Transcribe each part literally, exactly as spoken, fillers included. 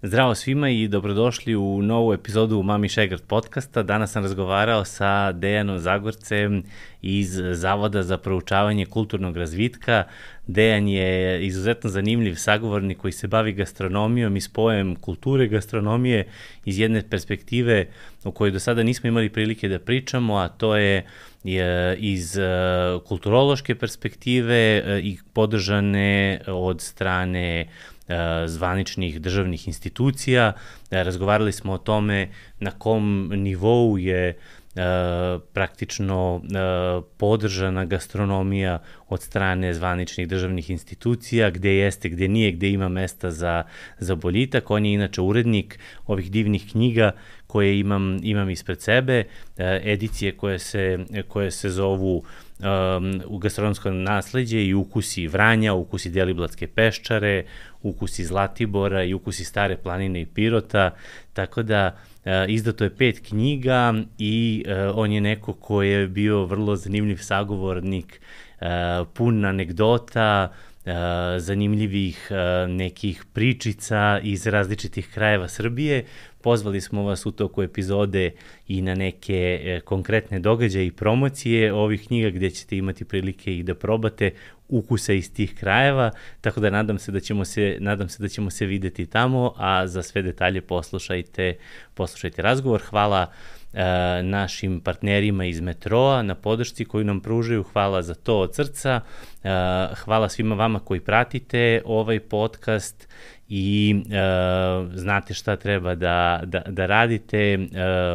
Zdravo svima i dobrodošli u novu epizodu Mami Šegrt podcasta. Danas sam razgovarao sa Dejanom Zagorcem iz Zavoda za proučavanje kulturnog razvitka. Dejan je izuzetno zanimljiv sagovornik koji se bavi gastronomijom i spojem kulture gastronomije iz jedne perspektive o kojoj do sada nismo imali prilike da pričamo, a to je iz kulturološke perspektive i podržane od strane zvaničnih državnih institucija. Razgovarali smo o tome na kom nivou je praktično podržana gastronomija od strane zvaničnih državnih institucija, gde jeste, gde nije, gde ima mesta za, za boljitak. On je inače urednik ovih divnih knjiga koje imam, imam ispred sebe, edicije koje se, koje se zovu Um, u gastronomsko nasleđe i ukusi Vranja, ukusi Deliblatske Peščare, ukusi Zlatibora i ukusi Stare planine i Pirota, tako da uh, izdato je pet knjiga i uh, on je neko ko je bio vrlo zanimljiv sagovornik, uh, pun anegdota, uh, zanimljivih uh, nekih pričica iz različitih krajeva Srbije. Pozvali smo vas u toku epizode i na neke e, konkretne događaje i promocije ovih knjiga gde ćete imati prilike i da probate ukuse iz tih krajeva, tako da nadam se da ćemo se, nadam se da ćemo se videti tamo, a za sve detalje poslušajte, poslušajte razgovor. Hvala e, našim partnerima iz Metroa na podršci koju nam pružaju, hvala za to od srca, e, hvala svima vama koji pratite ovaj podcast i e, znate šta treba da, da, da radite. E,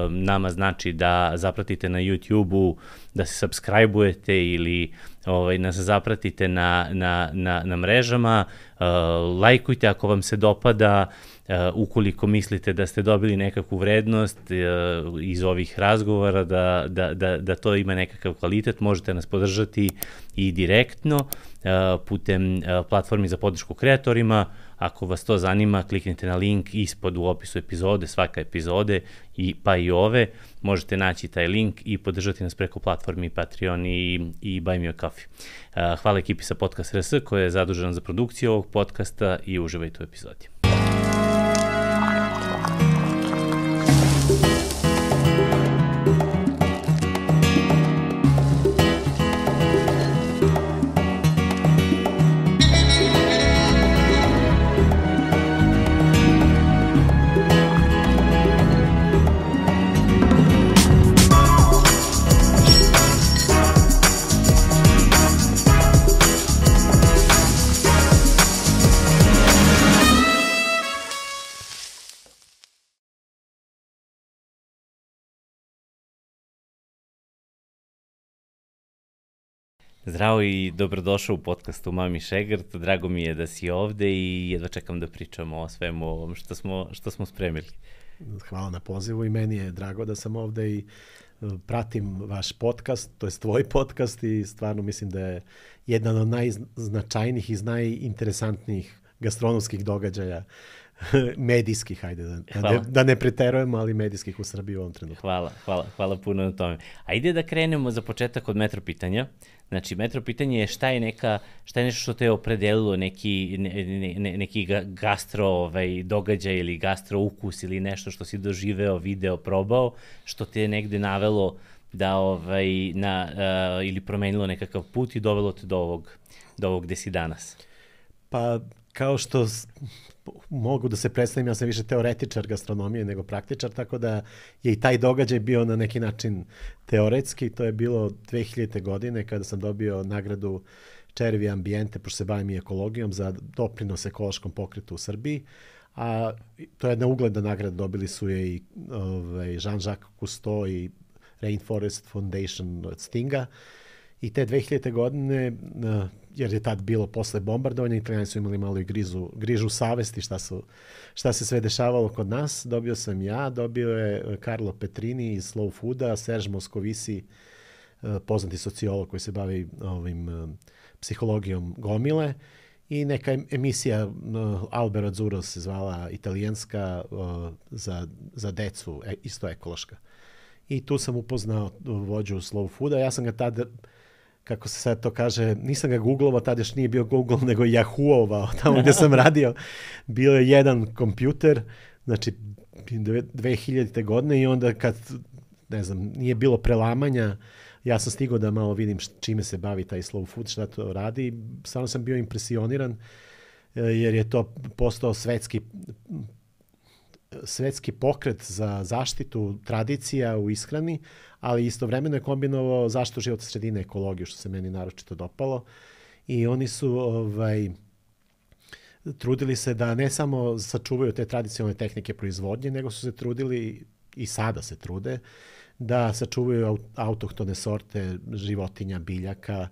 nama znači da zapratite na YouTube-u, da se subscribe-ujete ili ovaj, nas zapratite na, na, na, na mrežama, e, lajkujte ako vam se dopada, e, ukoliko mislite da ste dobili nekakvu vrednost e, iz ovih razgovora, da, da, da, da to ima nekakav kvalitet, možete nas podržati i direktno e, putem e, platformi za podršku kreatorima. Ako vas to zanima, kliknite na link ispod u opisu epizode, svaka epizode, i, pa i ove. Možete naći taj link i podržati nas preko platformi Patreon i, i Buy Me a Coffee. Uh, hvala ekipi sa Podcast R S koja je zadužena za produkciju ovog podcasta i uživajte u epizodi. Zdravo i dobrodošao u podcastu Mami Šegrt. Drago mi je da si ovde i jedva čekam da pričamo o svemu ovom što smo, što smo spremili. Hvala na pozivu i meni je drago da sam ovde i pratim vaš podcast, to je tvoj podcast i stvarno mislim da je jedan od najznačajnijih i najinteresantnijih gastronomskih događaja medijskih, hajde, da, da, ne, da ne preterujemo, ali medijskih u Srbiji u ovom trenutku. Hvala, hvala, hvala puno na tome. Ajde da krenemo za početak od metro pitanja. Znači, metro pitanje je šta je neka, šta je nešto što te je opredelilo, neki, ne, ne, neki gastro ovaj, događaj ili gastro ukus ili nešto što si doživeo, video, probao, što te je negde navelo da, ovaj, na, uh, ili promenilo nekakav put i dovelo te do ovog, do ovog gde si danas. Pa, kao što mogu da se predstavim, ja sam više teoretičar gastronomije nego praktičar, tako da je i taj događaj bio na neki način teoretski. To je bilo dve hiljadite godine kada sam dobio nagradu Červi Ambijente, pošto se bavim i ekologijom, za doprinos ekološkom pokretu u Srbiji. A to je jedna ugledna nagrada, dobili su je i ovaj, Jean-Jacques Cousteau i Rainforest Foundation od Stinga. I te dve hiljadite godine, jer je tad bilo posle bombardovanja, Italijani su imali malo i grizu, grižu savesti šta, su, šta se sve dešavalo kod nas. Dobio sam ja, dobio je Carlo Petrini iz Slow Fooda, Serge Moscovici, poznati sociolog koji se bavi ovim psihologijom gomile, i neka emisija Albero Azzurro se zvala italijanska za, za decu, isto ekološka. I tu sam upoznao vođu Slow Fooda. Ja sam ga tad kako se sad to kaže, nisam ga googlovao, tada još nije bio Google, nego Yahoo-ovao, tamo gdje sam radio. Bio je jedan kompjuter, znači dve hiljadite godine i onda kad, ne znam, nije bilo prelamanja, ja sam stigao da malo vidim čime se bavi taj slow food, šta to radi. Stvarno sam bio impresionirani jer je to postao svetski svetski pokret za zaštitu tradicija u ishrani, ali istovremeno je kombinovao zaštitu životne sredine, ekologiju, što se meni naročito dopalo. I oni su ovaj, trudili se da ne samo sačuvaju te tradicionalne tehnike proizvodnje, nego su se trudili, i sada se trude, da sačuvaju autohtone sorte životinja, biljaka.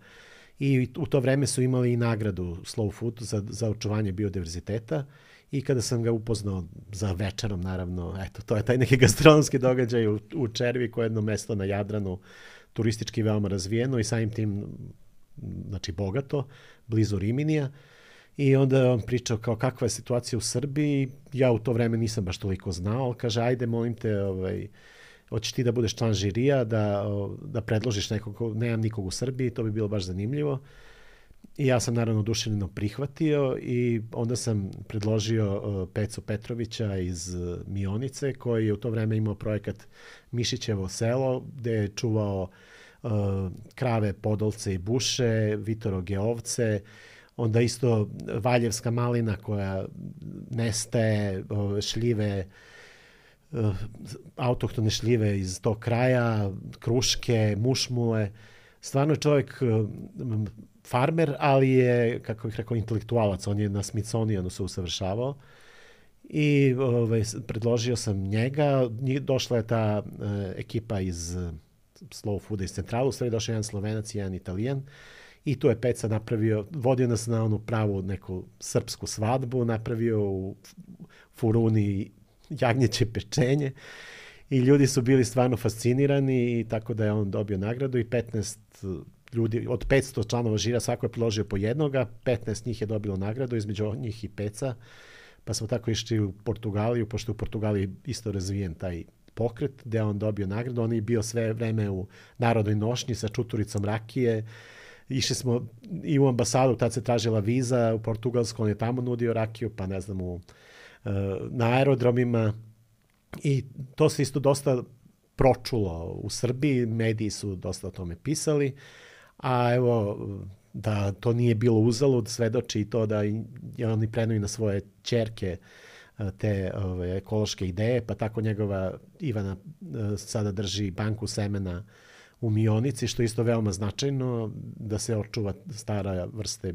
I u to vreme su imali i nagradu Slow Food za, za očuvanje biodiverziteta. I kada sam ga upoznao za večerom, naravno, eto, to je taj neki gastronomski događaj u, u Červi, koje je jedno mesto na Jadranu, turistički veoma razvijeno i samim tim, znači, bogato, blizu Riminija. I onda je on pričao kao kakva je situacija u Srbiji. Ja u to vreme nisam baš toliko znao. Kaže, ajde, molim te, ovaj, hoćeš ti da budeš član žirija, da, da predložiš nekog, nemam nikog u Srbiji, to bi bilo baš zanimljivo. I ja sam naravno oduševljeno prihvatio i onda sam predložio uh, Pecu Petrovića iz uh, Mionice, koji je u to vreme imao projekat Mišićevo selo, gde je čuvao uh, krave, podolce i buše, vitoroge ovce, onda isto valjevska malina koja nestaje, uh, šljive, uh, autohtone šljive iz tog kraja, kruške, mušmule. Stvarno je čovjek uh, farmer, ali je, kako bih rekao, intelektualac. On je na Smithsonianu se usavršavao i ovaj, predložio sam njega. Došla je ta uh, ekipa iz uh, Slow Fooda iz Centralu, u stvari došao jedan Slovenac i jedan Italijan i tu je Peca napravio, vodio nas na onu pravu neku srpsku svadbu, napravio u furuni jagnjeće pečenje i ljudi su bili stvarno fascinirani i tako da je on dobio nagradu i petnaest ljudi, od petsto članova žira, svako je priložio po jednoga, petnaest njih je dobilo nagradu, između njih i Peca, pa smo tako išli u Portugaliju, pošto u Portugaliji isto razvijen taj pokret, gde on dobio nagradu. On je bio sve vreme u narodnoj nošnji sa čuturicom rakije. Išli smo i u ambasadu, tad se tražila viza u Portugalsku, on je tamo nudio rakiju, pa ne znam, u, na aerodromima. I to se isto dosta pročulo u Srbiji, mediji su dosta o tome pisali, a evo, da to nije bilo uzalud, svedoči i to da je oni prenuju na svoje ćerke te ove, ekološke ideje, pa tako njegova Ivana sada drži banku semena u Mionici, što je isto veoma značajno, da se očuva stara vrste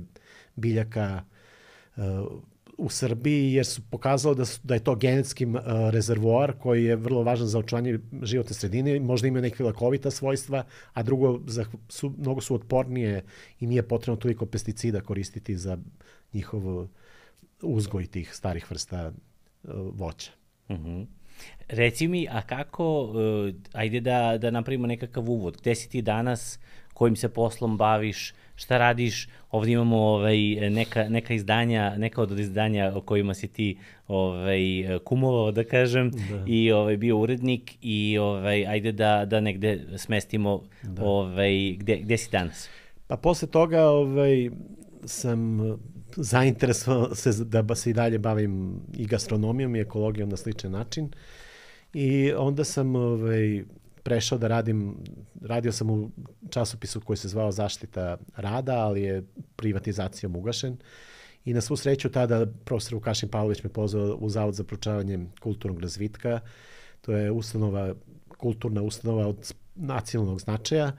biljaka uh, u Srbiji, jer su pokazalo da, su, da je to genetski uh, rezervoar koji je vrlo važan za očuvanje životne sredine, možda ima neke lakovita svojstva, a drugo, za, su, mnogo su otpornije i nije potrebno toliko pesticida koristiti za njihov uzgoj tih starih vrsta uh, voća. Mm-hmm. Reci mi, a kako, uh, ajde da, da napravimo nekakav uvod, gde si ti danas, kojim se poslom baviš, šta radiš, ovdje imamo ovaj, neka, neka izdanja, neka od izdanja o kojima si ti ovaj, kumovao, da kažem, da. I ovaj, bio urednik i ovaj, ajde da, da negde smestimo da. Ovaj, gde, gde si danas? Pa posle toga ovaj, sam zainteresovao se da se i dalje bavim i gastronomijom i ekologijom na sličan način i onda sam ovaj, prešao da radim, radio sam u časopisu koji se zvao Zaštita rada, ali je privatizacijom ugašen i na svu sreću tada profesor Vukašin Pavlović me pozvao u Zavod za proučavanje kulturnog razvitka. To je ustanova, kulturna ustanova od nacionalnog značaja.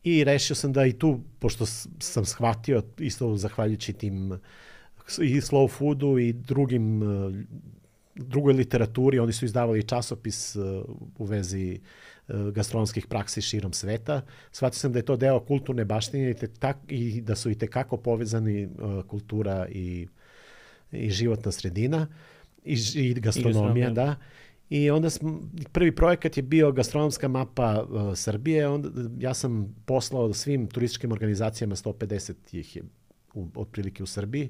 I rešio sam da i tu, pošto sam shvatio, isto zahvaljujući tim i Slow Foodu i drugim, drugoj literaturi, oni su izdavali časopis u vezi gastronomskih praksi širom sveta. Shvatio sam da je to deo kulturne baštine i, te, tak, i da su i tekako povezani kultura i, i životna sredina i, i gastronomija, I da. I onda smo, prvi projekat je bio gastronomska mapa uh, Srbije. Onda, ja sam poslao svim turističkim organizacijama, sto pedeset ih je u, otprilike u Srbiji.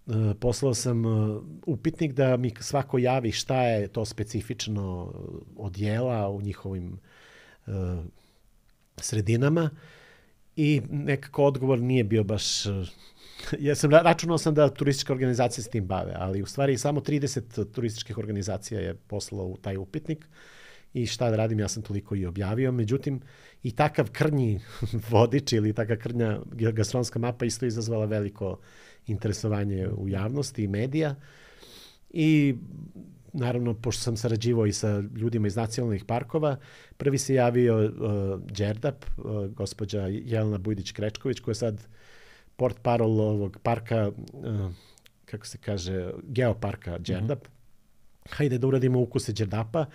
Uh, poslao sam uh, upitnik da mi svako javi šta je to specifično od jela u njihovim uh, sredinama. i nekako odgovor nije bio baš... Ja sam računao sam da turističke organizacije s tim bave, ali u stvari samo trideset turističkih organizacija je poslalo u taj upitnik i šta da radim, ja sam toliko i objavio. Međutim, i takav krnji vodič ili takav krnja gastronomska mapa isto izazvala veliko interesovanje u javnosti i medija. I naravno, pošto sam sarađivao i sa ljudima iz nacionalnih parkova, prvi se javio uh, Đerdap, uh, gospođa Jelena Bujdić-Krečković, koja je sad port parol ovog parka, uh, kako se kaže, geoparka Đerdap. Mm-hmm. Hajde da uradimo ukuse Đerdapa,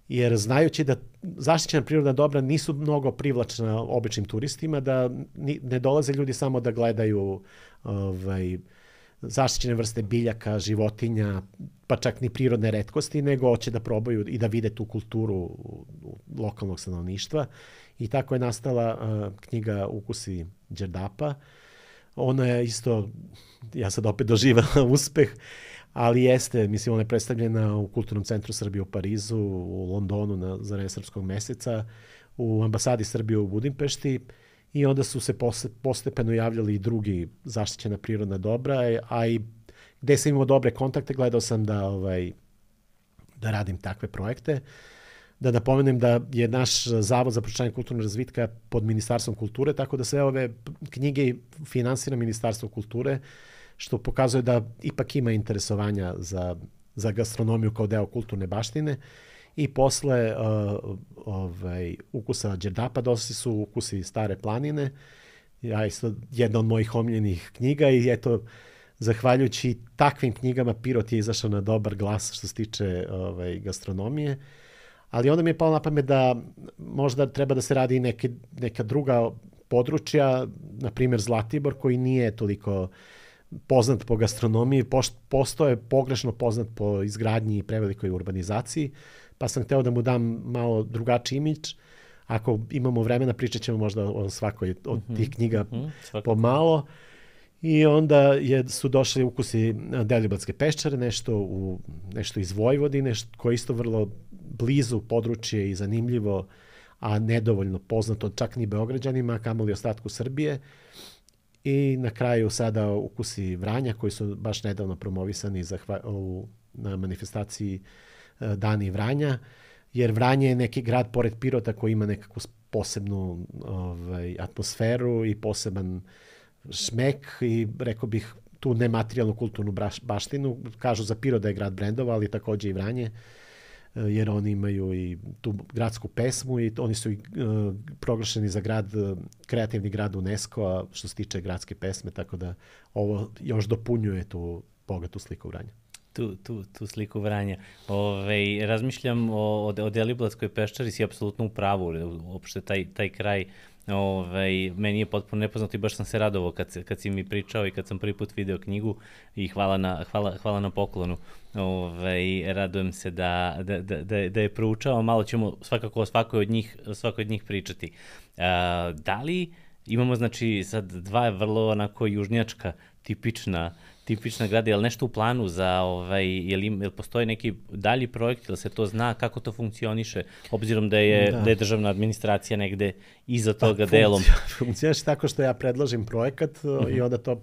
jer znajući da zaštićena prirodna dobra nisu mnogo privlačna običnim turistima, da ni, ne dolaze ljudi samo da gledaju ovaj, zaštićene vrste biljaka, životinja, pa čak ni prirodne retkosti, nego hoće da probaju i da vide tu kulturu lokalnog stanovništva. I tako je nastala uh, knjiga Ukusi Đerdapa. Ona je isto, ja sad opet doživela uspeh, ali jeste, mislim, ona je predstavljena u Kulturnom centru Srbije u Parizu, u Londonu na, za vreme Srpskog meseca, u ambasadi Srbije u Budimpešti, i onda su se postepeno javljali i drugi zaštićena prirodna dobra, a i gde sam imao dobre kontakte, gledao sam da, ovaj, da radim takve projekte. Da napomenem da je naš Zavod za proučavanje kulturnog razvitka pod Ministarstvom kulture, tako da sve ove knjige finansira Ministarstvo kulture, što pokazuje da ipak ima interesovanja za, za gastronomiju kao deo kulturne baštine. I posle uh, ovaj, ukusa Đerdapa došli su ukusi Stare planine. Ja isto jedna od mojih omiljenih knjiga i eto, zahvaljujući takvim knjigama Pirot je izašao na dobar glas što se tiče ovaj, gastronomije. Ali onda mi je palo na pamet da možda treba da se radi i neke, neka druga područja, na primjer Zlatibor, koji nije toliko poznat po gastronomiji, postoje pogrešno poznat po izgradnji i prevelikoj urbanizaciji, pa sam hteo da mu dam malo drugačiji imidž. Ako imamo vremena, pričat ćemo možda o svakoj od tih knjiga mm-hmm, pomalo. I onda je, su došli ukusi Deliblatske peščare, nešto, u, nešto iz Vojvodine, koje je isto vrlo blizu područje i zanimljivo, a nedovoljno poznato čak ni Beograđanima, kamoli ostatku Srbije. I na kraju sada ukusi Vranja, koji su baš nedavno promovisani zahva, u, na manifestaciji Dani Vranja, jer Vranje je neki grad pored Pirota koji ima nekakvu posebnu ovaj, atmosferu i poseban šmek i rekao bih tu nematerijalnu kulturnu baštinu. Kažu za Pirot da je grad brendova, ali takođe i Vranje, jer oni imaju i tu gradsku pesmu i oni su i uh, proglašeni za grad, kreativni grad UNESCO-a što se tiče gradske pesme, tako da ovo još dopunjuje tu bogatu sliku Vranja. Tu, tu, tu sliku Vranja. Ove, razmišljam o, o Deliblatskoj peščari, si apsolutno u pravu, uopšte taj, taj kraj Ove, meni je potpuno nepoznato i baš sam se radovao kad, kad si mi pričao i kad sam prvi put video knjigu i hvala na, hvala, hvala na poklonu. Ove, radujem se da, da, da, da je proučao, malo ćemo svakako o svakoj od njih, svakoj od njih pričati. A, da li imamo znači sad dva vrlo onako južnjačka tipična tipična grada, je li nešto u planu za, ovaj, je li, je li postoji neki dalji projekt, ili se to zna, kako to funkcioniše, obzirom da je, da. da je državna administracija negde iza toga pa, delom? Funkcioniše tako što ja predložim projekat uh-huh. i onda to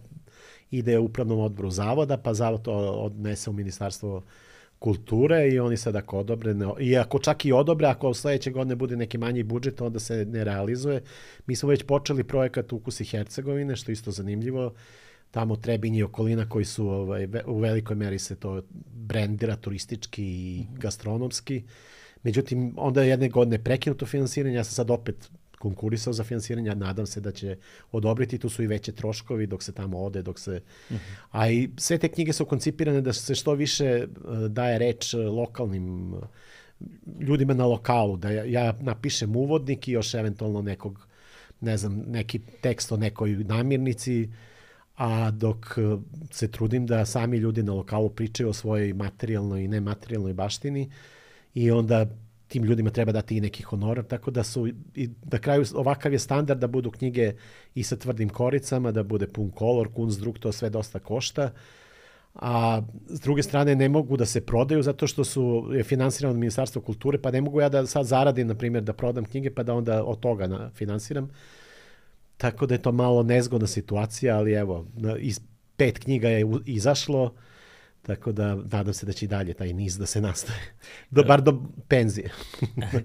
ide u upravnom odboru zavoda, pa zavod to odnese u Ministarstvo kulture i oni sad ako odobre, ne, i ako čak i odobre, ako sledeće godine bude neki manji budžet, onda se ne realizuje. Mi smo već počeli projekat Ukusi Hercegovine, što je isto zanimljivo. Tamo Trebinje i okolina koji su ovaj, u velikoj meri se to brendira turistički i gastronomski. Međutim, onda je jedne godine prekinuto finansiranje, ja sam sad opet konkurisao za finansiranje, nadam se da će odobriti, tu su i veće troškovi dok se tamo ode, dok se... Uh-huh. A i sve te knjige su koncipirane da se što više daje reč lokalnim ljudima na lokalu, da ja, ja napišem uvodnik i još eventualno nekog, ne znam, neki tekst o nekoj namirnici, a dok se trudim da sami ljudi na lokalu pričaju o svojoj materijalnoj i nematerijalnoj baštini i onda tim ljudima treba dati i neki honorar, tako da su i na kraju ovakav je standard da budu knjige i sa tvrdim koricama, da bude pun kolor, kunstdruk, to sve dosta košta, a s druge strane ne mogu da se prodaju zato što su je finansirano od Ministarstva kulture, pa ne mogu ja da sad zaradim, na primjer, da prodam knjige pa da onda od toga na, finansiram. tako da je to malo nezgodna situacija, ali evo, iz pet knjiga je izašlo, tako da nadam se da će i dalje taj niz da se nastaje. Do, bar do penzije.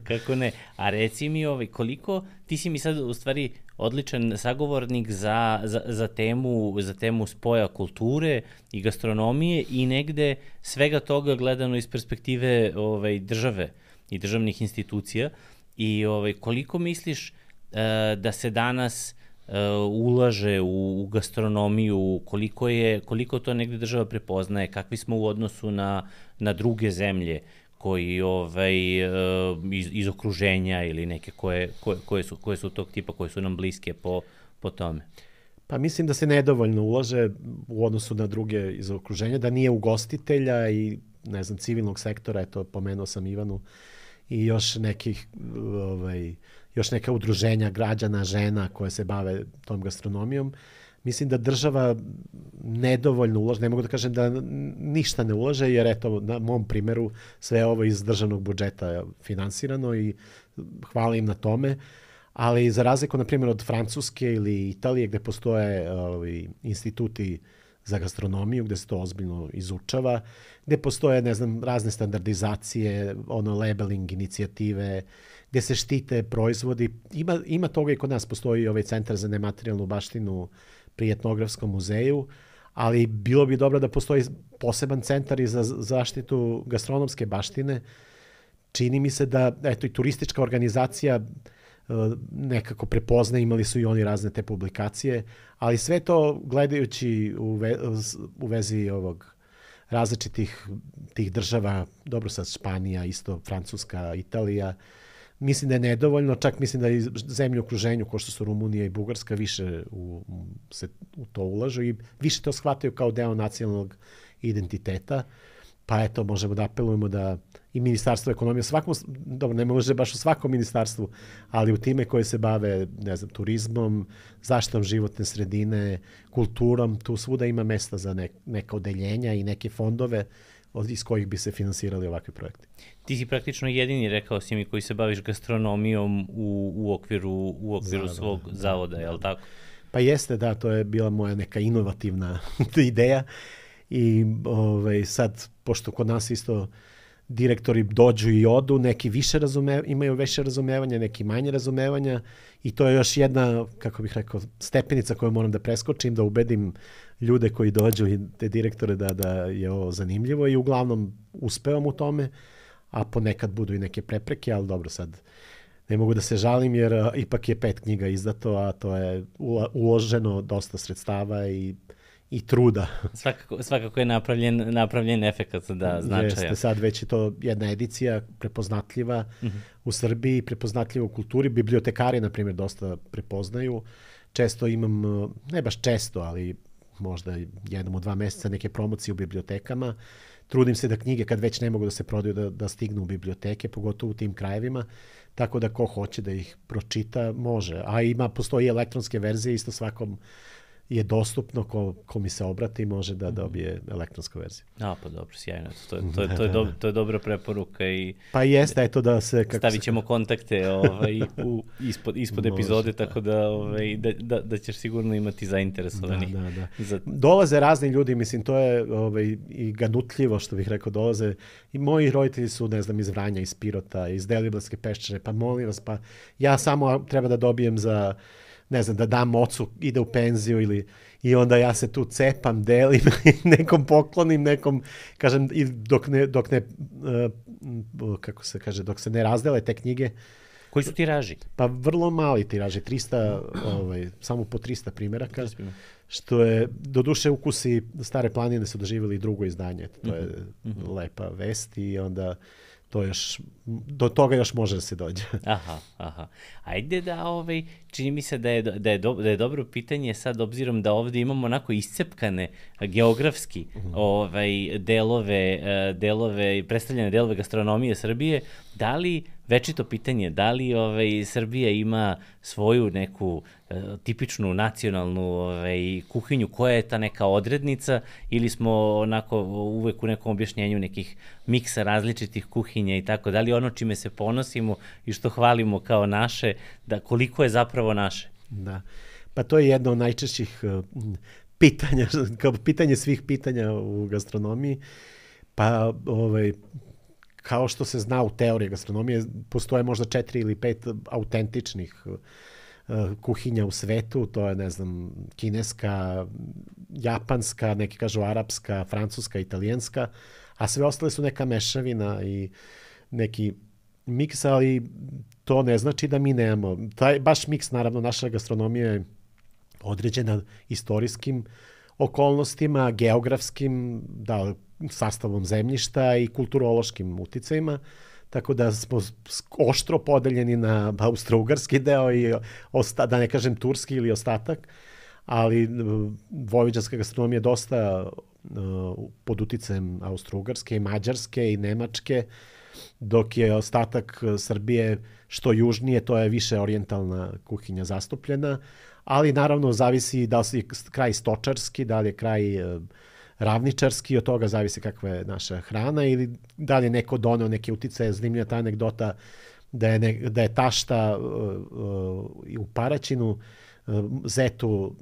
Kako ne. A reci mi, ovaj, koliko, ti si mi sad u stvari odličan sagovornik za, za, za, temu, za temu spoja kulture i gastronomije i negde svega toga gledano iz perspektive ovaj, države i državnih institucija. I ovaj, koliko misliš uh, da se danas uh, ulaže u, u gastronomiju, koliko, je, koliko to negde država prepoznaje, kakvi smo u odnosu na, na druge zemlje koji ovaj, iz, iz okruženja ili neke koje, koje, koje, su, koje su tog tipa, koje su nam bliske po, po tome? Pa mislim da se nedovoljno ulaže u odnosu na druge iz okruženja, da nije ugostitelja i ne znam, civilnog sektora, eto, pomenuo sam Ivanu, i još nekih, ovaj, još neka udruženja građana, žena koje se bave tom gastronomijom. Mislim da država nedovoljno ulaže, ne mogu da kažem da ništa ne ulaže, jer eto, na mom primjeru sve ovo iz državnog budžeta finansirano i hvala im na tome, ali za razliku, na primjer, od Francuske ili Italije, gde postoje ovaj, instituti za gastronomiju, gde se to ozbiljno izučava, gde postoje, ne znam, razne standardizacije, ono, labeling inicijative, gde se štite proizvodi. Ima, ima toga i kod nas, postoji ovaj centar za nematerijalnu baštinu pri Etnografskom muzeju, ali bilo bi dobro da postoji poseban centar i za zaštitu gastronomske baštine. Čini mi se da, eto, i turistička organizacija nekako prepozna, imali su i oni razne te publikacije, ali sve to gledajući u, ve, u vezi ovog različitih tih država, dobro sad Španija, isto Francuska, Italija, mislim da je nedovoljno, čak mislim da i zemlje u okruženju, kao što su Rumunija i Bugarska, više u, se u to ulažu i više to shvataju kao deo nacionalnog identiteta. Pa eto, možemo da apelujemo da i Ministarstvo ekonomije, svakom, dobro, ne može baš u svakom ministarstvu, ali u time koje se bave, ne znam, turizmom, zaštitom životne sredine, kulturom, tu svuda ima mesta za ne, neka odeljenja i neke fondove iz kojih bi se finansirali ovakvi projekti. Ti si praktično jedini, rekao si mi, koji se baviš gastronomijom u, u okviru, u okviru Zavod, svog da, zavoda, da, je li tako? Pa jeste, da, to je bila moja neka inovativna ideja. I ovaj, sad, pošto kod nas isto direktori dođu i odu, neki više razume, imaju više razumevanja, neki manje razumevanja i to je još jedna, kako bih rekao, stepenica koju moram da preskočim, da ubedim ljude koji dođu i te direktore da, da je ovo zanimljivo i uglavnom uspevam u tome, a ponekad budu i neke prepreke, ali dobro, sad ne mogu da se žalim jer a, ipak je pet knjiga izdato, a to je uloženo dosta sredstava i i truda. Svakako, svakako je napravljen, napravljen efekat, da, značaja. Jeste, sad već je to jedna edicija prepoznatljiva uh-huh. u Srbiji, prepoznatljiva u kulturi. Bibliotekari, na primjer, dosta prepoznaju. Često imam, ne baš često, ali možda jednom u dva meseca neke promocije u bibliotekama. Trudim se da knjige, kad već ne mogu da se prodaju, da, da stignu u biblioteke, pogotovo u tim krajevima. Tako da ko hoće da ih pročita, može. A ima, postoji elektronske verzije, isto svakom je dostupno, ko, ko mi se obrati može da dobije elektronsku verziju. A, pa dobro, sjajno. To, to, to, to, je, do, to je dobra preporuka. I pa jeste, eto da se... Kako stavit ćemo se... kontakte ovaj, u, ispod, ispod epizode, tako da, ovaj, da, da, da ćeš sigurno imati zainteresovani. Da, da, da. Za... Dolaze razni ljudi, mislim, to je ovaj, i ganutljivo, što bih rekao, dolaze. I moji roditelji su, ne znam, iz Vranja, iz Pirota, iz Deliblatske Peščare, pa molim vas, pa ja samo treba da dobijem za... ne znam, da dam ocu, ide u penziju ili i onda ja se tu cepam, delim, nekom poklonim, nekom, kažem, i dok ne, dok ne uh, kako se kaže, dok se ne razdele te knjige. Koji su tiraži? Pa vrlo mali tiraži, trista, ovaj, samo po trista primjeraka, što je, do duše Ukusi Stare planine su doživjeli drugo izdanje, to je mm-hmm. lepa vest i onda to još, do toga još može da se dođe. Aha, aha. Ajde da, ovaj, čini mi se da je, da je, do, da je dobro pitanje sad, obzirom da ovdje imamo onako iscepkane geografski mm-hmm. ovaj, delove, delove, predstavljene delove gastronomije Srbije, da li, večito pitanje, da li ovaj, Srbija ima svoju neku e, tipičnu nacionalnu ovaj, kuhinju, koja je ta neka odrednica, ili smo onako uvek u nekom objašnjenju nekih miksa različitih kuhinja i tako, da li ono čime se ponosimo i što hvalimo kao naše, da koliko je zapravo naše? Da. Pa to je jedno od najčešćih pitanja, kao pitanje svih pitanja u gastronomiji. Pa ovaj, kao što se zna u teoriji gastronomije, postoje možda četiri ili pet autentičnih kuhinja u svetu, to je, ne znam, kineska, japanska, neki kažu arapska, francuska, italijanska, a sve ostale su neka mešavina i neki miks, ali to ne znači da mi nemamo. Taj, baš miks, naravno, naša gastronomija je određena istorijskim okolnostima, geografskim, da, sastavom zemljišta i kulturološkim uticajima, tako da smo oštro podeljeni na austro-ugarski deo i osta, da ne kažem turski ili ostatak, ali vojvođanska gastronomija je dosta uh, pod uticajem austro-ugarske i mađarske i nemačke, dok je ostatak Srbije što južnije, to je više orijentalna kuhinja zastupljena, ali naravno zavisi da li je kraj stočarski, da li je kraj uh, ravničarski, od toga zavisi kakva je naša hrana ili da li je neko doneo neke uticaje. Zanimljiva ta anegdota da je, ne, da je tašta uh, uh, u Paraćinu uh, zetu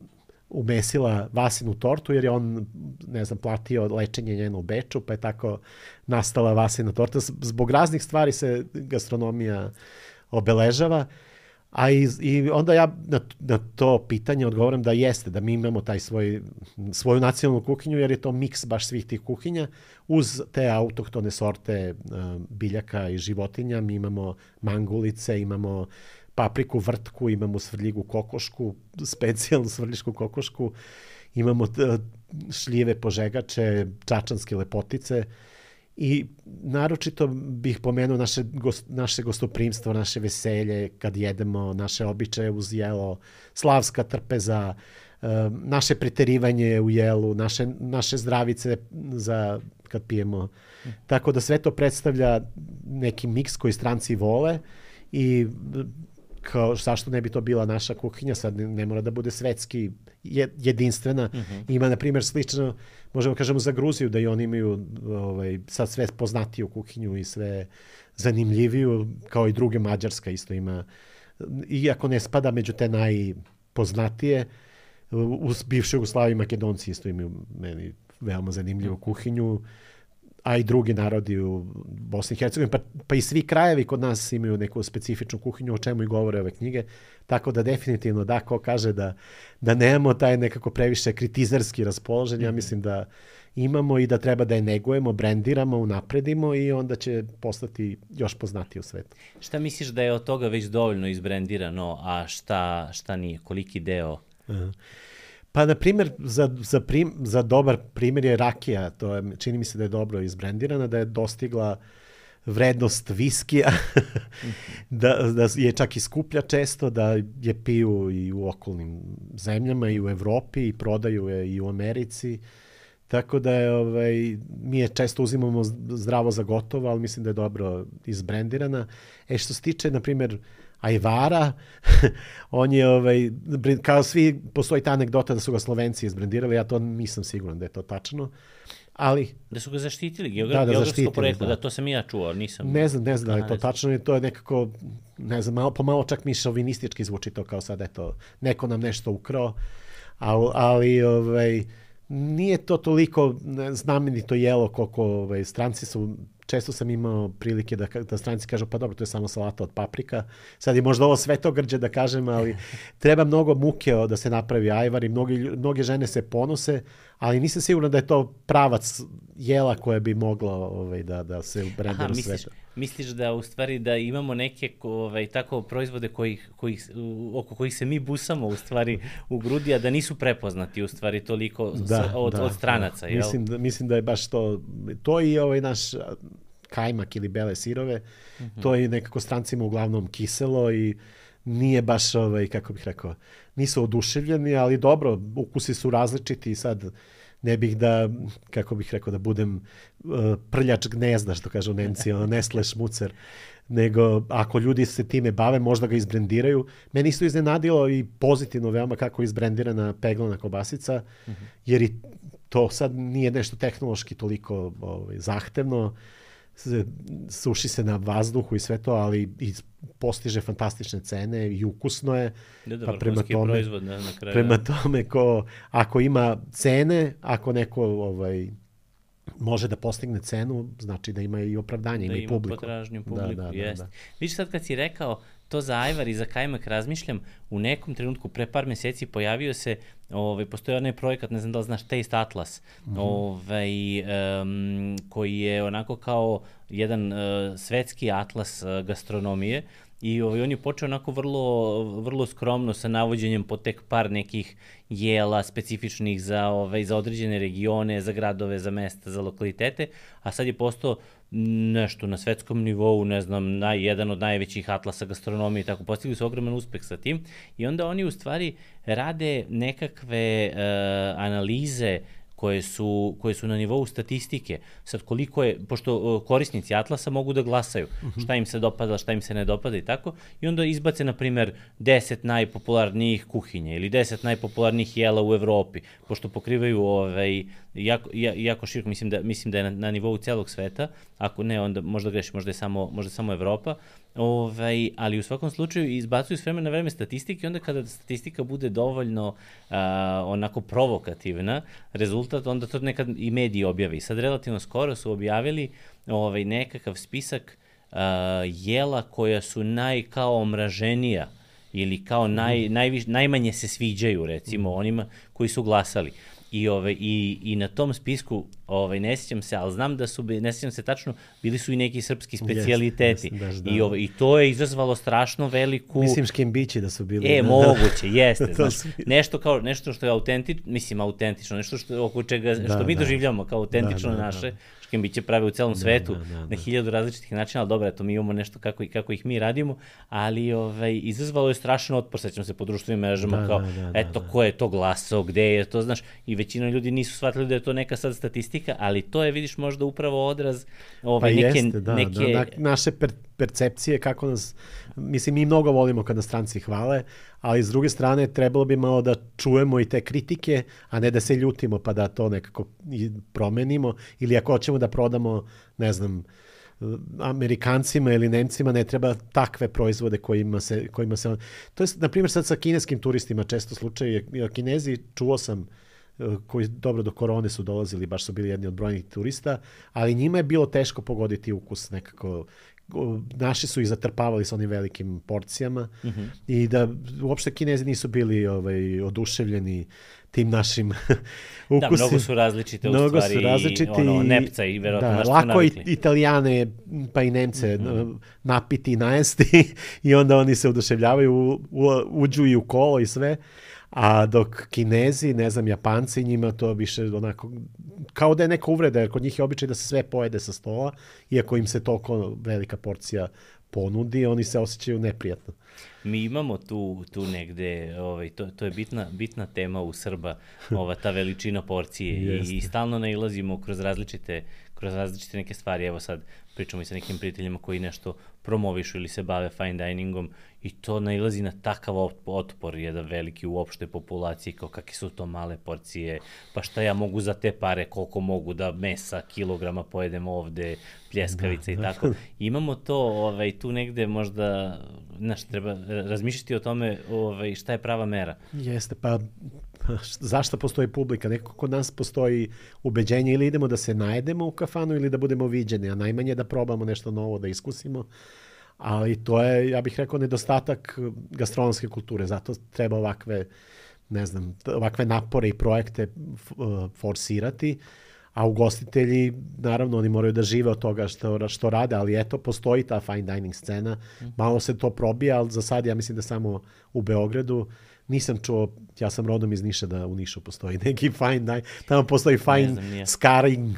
umesila Vasinu tortu jer je on, ne znam, platio lečenje njeno u Beču, pa je tako nastala Vasina torta. Zbog raznih stvari se gastronomija obeležava. A i, i onda ja na, na to pitanje odgovorim da jeste, da mi imamo taj svoj, svoju nacionalnu kuhinju, jer je to miks baš svih tih kuhinja. Uz te autohtone sorte uh, biljaka i životinja mi imamo mangulice, imamo papriku vrtku, imamo svrljigu kokošku, specijalnu svrljišku kokošku, imamo t, šljive požegače, čačanske lepotice. I naročito bih pomenuo naše, gost, naše gostoprimstvo, naše veselje kad jedemo, naše običaje uz jelo, slavska trpeza, naše preterivanje u jelu, naše, naše zdravice za kad pijemo. Tako da sve to predstavlja neki miks koji stranci vole i kao zašto ne bi to bila naša kuhinja, sad ne, ne mora da bude svetski jedinstvena. Mm-hmm. Ima, na primjer, slično, možemo kažemo za Gruziju, da i oni imaju ovaj, sad sve poznatiju kuhinju i sve zanimljiviju, kao i druge. Mađarska isto ima, iako ne spada među te najpoznatije, u bivšoj Jugoslaviji Makedonci isto imaju meni veoma zanimljivu kuhinju, a i drugi narodi u Bosni i Hercegovini, pa, pa i svi krajevi kod nas imaju neku specifičnu kuhinju, o čemu i govore ove knjige, tako da definitivno da, ko kaže da, da nemamo taj nekako previše kritizerski raspoložen, ja mislim da imamo i da treba da je negujemo, brendiramo, unapredimo i onda će postati još poznatiji u svetu. Šta misliš da je od toga već dovoljno izbrendirano, a šta, šta nije, koliki deo? Aha. Pa, na primjer, za, za, prim, za dobar primjer je rakija. To je, čini mi se da je dobro izbrendirana, da je dostigla vrednost viskija, da, da je čak i skuplja često, da je piju i u okolnim zemljama i u Evropi i prodaju je i u Americi. Tako da je, ovaj, mi je često uzimamo zdravo za gotovo, ali mislim da je dobro izbrendirana. E, što se tiče, na primjer, ajvara, on je, ovaj, kao svi, postoji ta anegdota da su ga Slovenci izbrendirali, ja to nisam siguran da je to tačno, ali... Da su ga zaštitili, geogra... da, da, geografsko poreklo, da. da, to sam i ja čuo, nisam... Ne znam, ne znam da je to tačno, i to je nekako, ne znam, malo, pomalo čak mi šovinistički zvuči to kao sad, eto, neko nam nešto ukrao, ali, ali ovaj, nije to toliko znamenito jelo koliko ovaj, stranci su... Često sam imao prilike da, da stranci kažu, pa dobro, to je samo salata od paprika. Sad je možda ovo svetogrđe da kažem, ali treba mnogo muke da se napravi ajvar i mnogi, mnoge žene se ponose, ali nisam siguran da je to pravac jela koje bi moglo ovaj, da, da se ubrendira svetu. Misliš da u stvari da imamo neke ovaj, tako proizvode kojih, kojih, oko kojih se mi busamo u stvari u grudi, a da nisu prepoznati u stvari toliko da, od, da, od stranaca? Da. Mislim, da, mislim da je baš to, to i ovaj naš kajmak ili bele sirove, mm-hmm. to je nekako strancima uglavnom kiselo i nije baš, ovaj, kako bih rekao, nisu oduševljeni, ali dobro, ukusi su različiti i sad ne bih da, kako bih rekao, da budem uh, prljač gnezda, što kažu Nemci, ono, Nestle šmucer, nego ako ljudi se time bave, možda ga izbrendiraju. Meni isto iznenadilo i pozitivno veoma kako je izbrendirana peglana kobasica, mm-hmm. jer i to sad nije nešto tehnološki toliko ovaj, zahtevno. suši se na vazduhu i sve to, ali i postiže fantastične cene i ukusno je. Da, da, pa prema tome, proizvod na, na kraju. Prema tome, ko, ako ima cene, ako neko ovaj, može da postigne cenu, znači da ima i opravdanje, da ima i publiku. Da ima potražnju publiku, da, da, jest. Da, da. Vidiš sad kad si rekao to za ajvar i za kajmak razmišljam, u nekom trenutku pre par meseci pojavio se, ovaj, postoji onaj projekat, ne znam da li znaš, Taste Atlas, mm-hmm. ovaj, um, koji je onako kao jedan uh, svetski atlas uh, gastronomije i ovaj, on je počeo onako vrlo, vrlo skromno sa navođenjem po tek par nekih jela specifičnih za, ovaj, za određene regione, za gradove, za mesta, za lokalitete, a sad je postao nešto na svetskom nivou, ne znam, naj, jedan od najvećih atlasa gastronomije, tako postigli su ogroman uspeh sa tim i onda oni u stvari rade nekakve uh, analize koje su, koje su na nivou statistike. Sad koliko je, pošto korisnici Atlasa mogu da glasaju šta im se dopada, šta im se ne dopada i tako, i onda izbace, na primer, deset najpopularnijih kuhinja ili deset najpopularnijih jela u Evropi, pošto pokrivaju ovaj, jako, jako široko, mislim da, mislim da je na, na nivou celog sveta, ako ne, onda možda greši, možda je samo, možda je samo Evropa, ovaj, ali u svakom slučaju izbacuju s vremena na vreme statistike i onda kada statistika bude dovoljno a, onako provokativna, rezultat, onda to nekad i mediji objavi. Sad relativno skoro su objavili ovaj, nekakav spisak a, jela koja su naj kao omraženija ili kao naj, najviš, najmanje se sviđaju, recimo, onima koji su glasali. I, ove, i, i na tom spisku, ovaj, ne sjećam se, ali znam da su, ne sjećam se tačno, bili su i neki srpski specijaliteti. Yes, yes, I, ove, I to je izazvalo strašno veliku... Mislim škembići da su bili. E, da, moguće, jeste. Znaš, nešto, kao, nešto što je autentično, mislim autentično, nešto što, oko čega, što da, mi da. doživljamo kao autentično da, da, naše, da. Škembiće prave u celom da, svetu, da, da, da. na hiljadu različitih načina, ali dobro, eto, mi imamo nešto kako, kako ih mi radimo, ali ovaj, izazvalo je strašan otpor, sećam se po društvenim mrežama, da, kao, da, da, eto, da. ko je to glasao, gde je to, znaš, i većina ljudi nisu shvatili da je to neka sad statistika, ali to je, vidiš, možda upravo odraz ovaj, pa neke... Jeste, da, neke... Da, naše per, percepcije, kako nas, mislim, mi mnogo volimo kada stranci hvale, ali s druge strane trebalo bi malo da čujemo i te kritike, a ne da se ljutimo pa da to nekako promenimo, ili ako hoćemo da prodamo, ne znam, Amerikancima ili Nemcima ne treba takve proizvode kojima se... Kojima se to je, na primjer, sad sa kineskim turistima često slučaj, Kinezi, čuo sam, koji dobro do korone su dolazili, baš su bili jedni od brojnih turista, ali njima je bilo teško pogoditi ukus nekako. Naši su ih zatrpavali sa onim velikim porcijama mm-hmm. i da uopšte Kinezi nisu bili ovaj, oduševljeni tim našim ukusima. Da, mnogo su različite u stvari, su različiti, ono, nepca i verovatno da, našto lako navikli. I Italijane pa i Nemce mm-hmm. napiti i najesti i onda oni se oduševljavaju, u, u, uđu i u kolo i sve. A dok Kinezi, ne znam, Japanci, njima to više onako, kao da je neka uvreda, jer kod njih je običaj da se sve pojede sa stola, iako im se toliko velika porcija ponudi, oni se osjećaju neprijatno. Mi imamo tu, tu negde, ovaj, to, to je bitna, bitna tema u Srba, ova, ta veličina porcije i, i stalno nailazimo kroz različite, kroz različite neke stvari. Evo sad pričamo i sa nekim prijateljima koji nešto promovišu ili se bave fine diningom i to nailazi na takav otpor jedan veliki u opštoj populaciji, kao kakve su to male porcije, pa šta ja mogu za te pare, koliko mogu da mesa, kilograma pojedem ovde, pljeskavica da, i tako. Da. Imamo to ovaj, tu negde možda, znaš, treba razmišljati o tome ovaj, šta je prava mera. Jeste, pa zašto postoji publika? Neko kod nas postoji ubeđenje ili idemo da se najedemo u kafanu ili da budemo viđeni, a najmanje da probamo nešto novo, da iskusimo. Ali to je, ja bih rekao, nedostatak gastronomske kulture. Zato treba ovakve, ne znam, ovakve napore i projekte forsirati, a ugostitelji, naravno, oni moraju da žive od toga što, što rade, ali eto, postoji ta fine dining scena. Malo se to probija, ali za sad ja mislim da samo u Beogradu. Nisam čuo, ja sam rodom iz Niša, da u Nišu postoji neki fine dining, tamo postoji fine znam, scarring,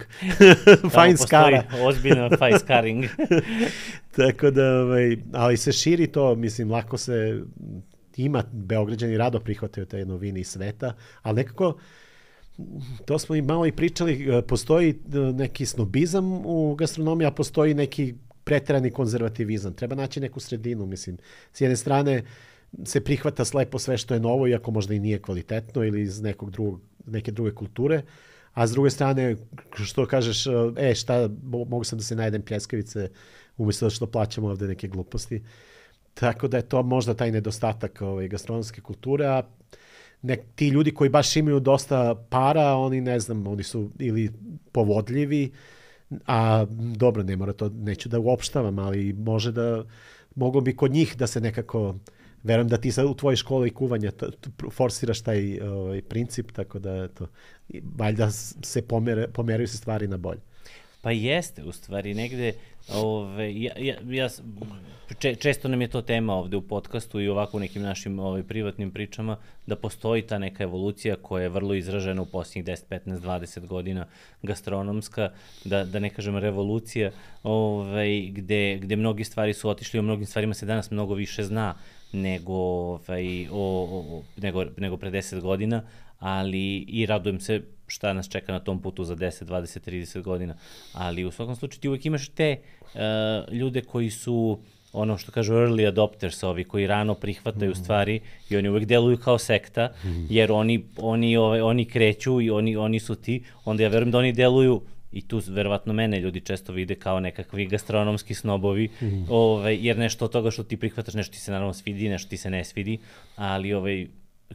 fine skara. Tamo postoji ozbiljno fine scarring. Tako da, ovaj, ali se širi to, mislim, lako se, ima, Beograđani rado prihvataju te novine iz sveta, ali nekako, to smo i malo i pričali, postoji neki snobizam u gastronomiji, a postoji neki preterani konzervativizam. Treba naći neku sredinu, mislim. S jedne strane, se prihvata slepo sve što je novo, iako možda i nije kvalitetno ili iz nekog drugog, neke druge kulture, a s druge strane, što kažeš, e, šta, mogu sam da se najedem pljeskavice, umjesto da što plaćamo ovde neke gluposti. Tako da je to možda taj nedostatak ovaj, gastronomske kulture, a ne, ti ljudi koji baš imaju dosta para, oni ne znam, oni su ili povodljivi, a dobro, ne mora to, neću da uopštavam, ali može da, moglo bi kod njih da se nekako, verujem da ti sad u tvojoj školi kuvanja t, t, forsiraš taj ovaj, princip, tako da to, valjda se pomere, pomeraju se stvari na bolje. Pa jeste, u stvari, negde, ove, ja, ja, ja, če, često nam je to tema ovde u podcastu i ovako u nekim našim ove, privatnim pričama, da postoji ta neka evolucija koja je vrlo izražena u posljednjih deset, petnaest, dvadeset godina gastronomska, da, da ne kažem revolucija, ove, gde, gde mnogi stvari su otišli, o mnogim stvarima se danas mnogo više zna nego, ovaj, o, o, nego, nego pre deset godina, ali i radujem se šta nas čeka na tom putu za deset, dvadeset, trideset godina, ali u svakom slučaju ti uvek imaš te uh, ljude koji su ono što kažu early adopters, ovi koji rano prihvataju mm-hmm. stvari i oni uvek deluju kao sekta, mm-hmm. jer oni, oni, ove, oni kreću i oni, oni su ti, onda ja verujem da oni deluju i tu verovatno mene ljudi često vide kao nekakvi gastronomski snobovi, mm-hmm. ove, jer nešto od toga što ti prihvataš, nešto ti se naravno svidi, nešto ti se ne svidi, ali ovaj,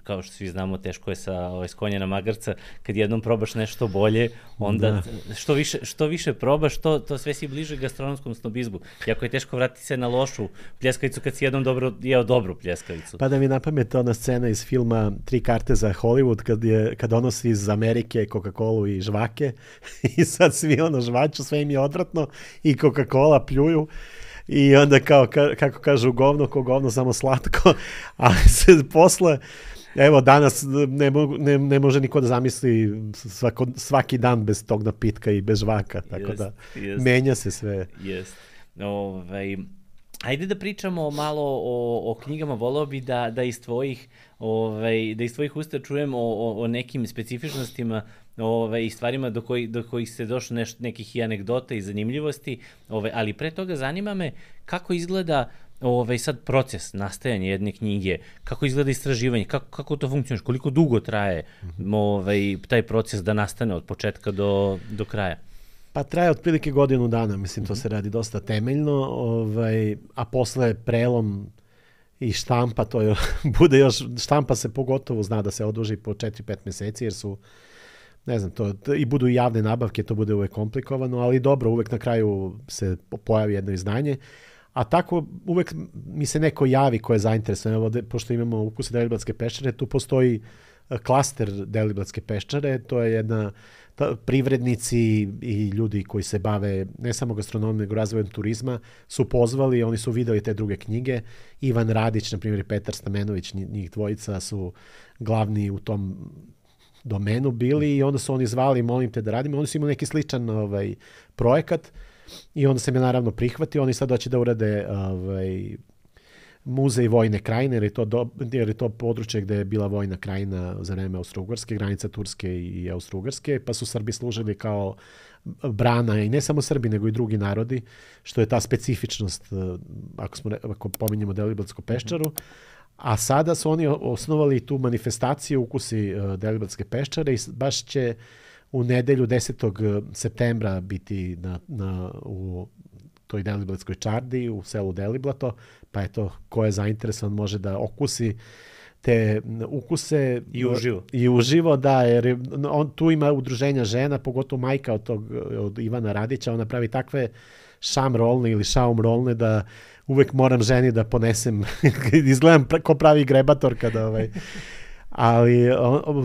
kao što svi znamo, teško je sa ovaj, s konja na magarca, kad jednom probaš nešto bolje, onda da. što, više, što više probaš, to, to sve si bliže gastronomskom snobizmu. Jako je teško vratiti se na lošu pljeskavicu kad si jednom dobro, jeo dobru pljeskavicu. Pa da mi napamet ona scena iz filma Tri karte za Hollywood, kad, je, kad donosi iz Amerike Coca-Colu i žvake i sad svi ono žvaču, sve im je odvratno i Coca-Cola pljuju. I onda kao, ka, kako kažu, govno ko govno, samo slatko, ali se posle, evo danas ne, mogu, ne, ne može niko da zamisli svako, svaki dan bez tog napitka i bez žvaka, tako jest, da jest. Menja se sve. Jest. Ovaj, ajde da pričamo malo o, o knjigama, voleo bi da, da iz tvojih ovaj, da iz tvojih usta čujem o, o, o nekim specifičnostima ove, i stvarima do, koji, do kojih se došlo neš, nekih i anegdota i zanimljivosti, ove, ali pre toga zanima me kako izgleda ove, sad proces nastajanja jedne knjige, kako izgleda istraživanje, kako, kako to funkcioniš, koliko dugo traje ove, taj proces da nastane od početka do, do kraja? Pa traje otprilike godinu dana, mislim, to se radi dosta temeljno, ovaj, a posle prelom i štampa, to je, bude još, štampa se pogotovo zna da se oduži po četiri pet meseci, jer su, ne znam, to, i budu i javne nabavke, to bude uvek komplikovano, ali dobro, uvek na kraju se pojavi jedno izdanje, a tako uvek mi se neko javi ko je zainteresovan, evo, pošto imamo Ukuse Deliblatske peščare, tu postoji klaster Deliblatske peščare, to je jedna, ta, privrednici i ljudi koji se bave ne samo gastronomijom, nego razvojem turizma, su pozvali, oni su videli te druge knjige. Ivan Radić, na primjer, i Petar Stamenović, njih dvojica su glavni u tom domenu bili i onda su oni zvali, molim te da radimo. Oni su imali neki sličan ovaj, projekat i onda sam je naravno prihvatio. Oni sad hoće da urade ovaj, muzej vojne krajine, jer je, to do, jer je to područje gde je bila vojna krajina za vreme Austro-Ugarske, granica Turske i Austro-Ugarske, pa su Srbi služili kao brana i ne samo Srbi, nego i drugi narodi, što je ta specifičnost, ako, smo, ako pominjemo Deliblatsku peščaru. A sada su oni osnovali tu manifestaciju Ukusi Deliblatske peščare i baš će u nedelju desetog septembra biti na, na, u toj Deliblatskoj čardi u selu Deliblato, pa eto, ko je zainteresovan može da okusi te ukuse i uživo. I uživo, da, jer on tu ima udruženja žena, pogotovo majka od tog od Ivana Radića, ona pravi takve šam rolne ili šaum rolne da uvek moram ženi da ponesem, izgledam ko pravi grebator kada ovaj. Ali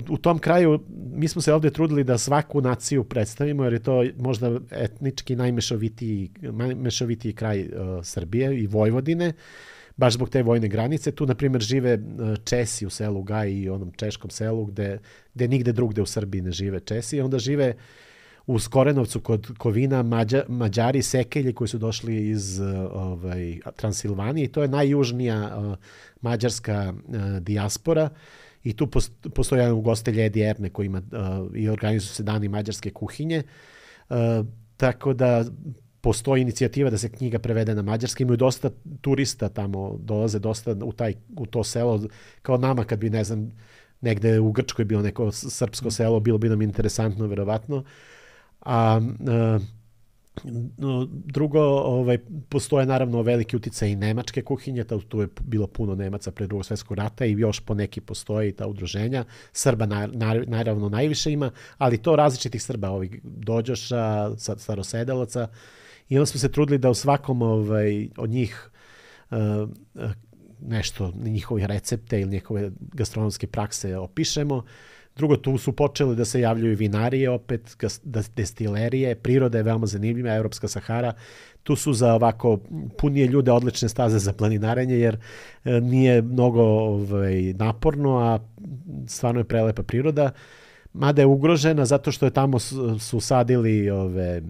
u tom kraju mi smo se ovdje trudili da svaku naciju predstavimo, jer je to možda etnički najmešovitiji, najmešovitiji kraj uh, Srbije i Vojvodine, baš zbog te vojne granice. Tu, na primjer, žive Česi u selu Gaj i onom češkom selu, gde, gde nigde drugde u Srbiji ne žive Česi. I onda žive u Skorenovcu kod Kovina Mađa, Mađari, Sekelji koji su došli iz ovaj, Transilvanije. I to je najjužnija uh, mađarska uh, dijaspora. I tu postoji jedan ugostelj Edi Erne koji ima uh, i organizuju se dani mađarske kuhinje. Uh, tako da postoji inicijativa da se knjiga prevede na mađarski. Imaju dosta turista tamo, dolaze dosta u, taj, u to selo, kao nama kad bi, ne znam, negde u Grčkoj bilo neko srpsko selo, bilo bi nam interesantno, verovatno. A, a drugo, ovaj, postoje naravno veliki uticaj i nemačke kuhinje, tu je bilo puno Nemaca pre Drugog svjetskog rata i još po neki postoji ta udruženja. Srba na, na, naravno najviše ima, ali to različitih Srba, ovih dođoša, starosedelaca. I onda smo se trudili da u svakom ovaj, od njih uh, nešto, njihove recepte ili njihove gastronomske prakse opišemo. Drugo, tu su počeli da se javljaju vinarije opet, destilerije, priroda je veoma zanimljiva, Evropska Sahara. Tu su za ovako punije ljude odlične staze za planinarenje, jer nije mnogo ovaj, naporno, a stvarno je prelepa priroda. Mada je ugrožena zato što je tamo su sadili ove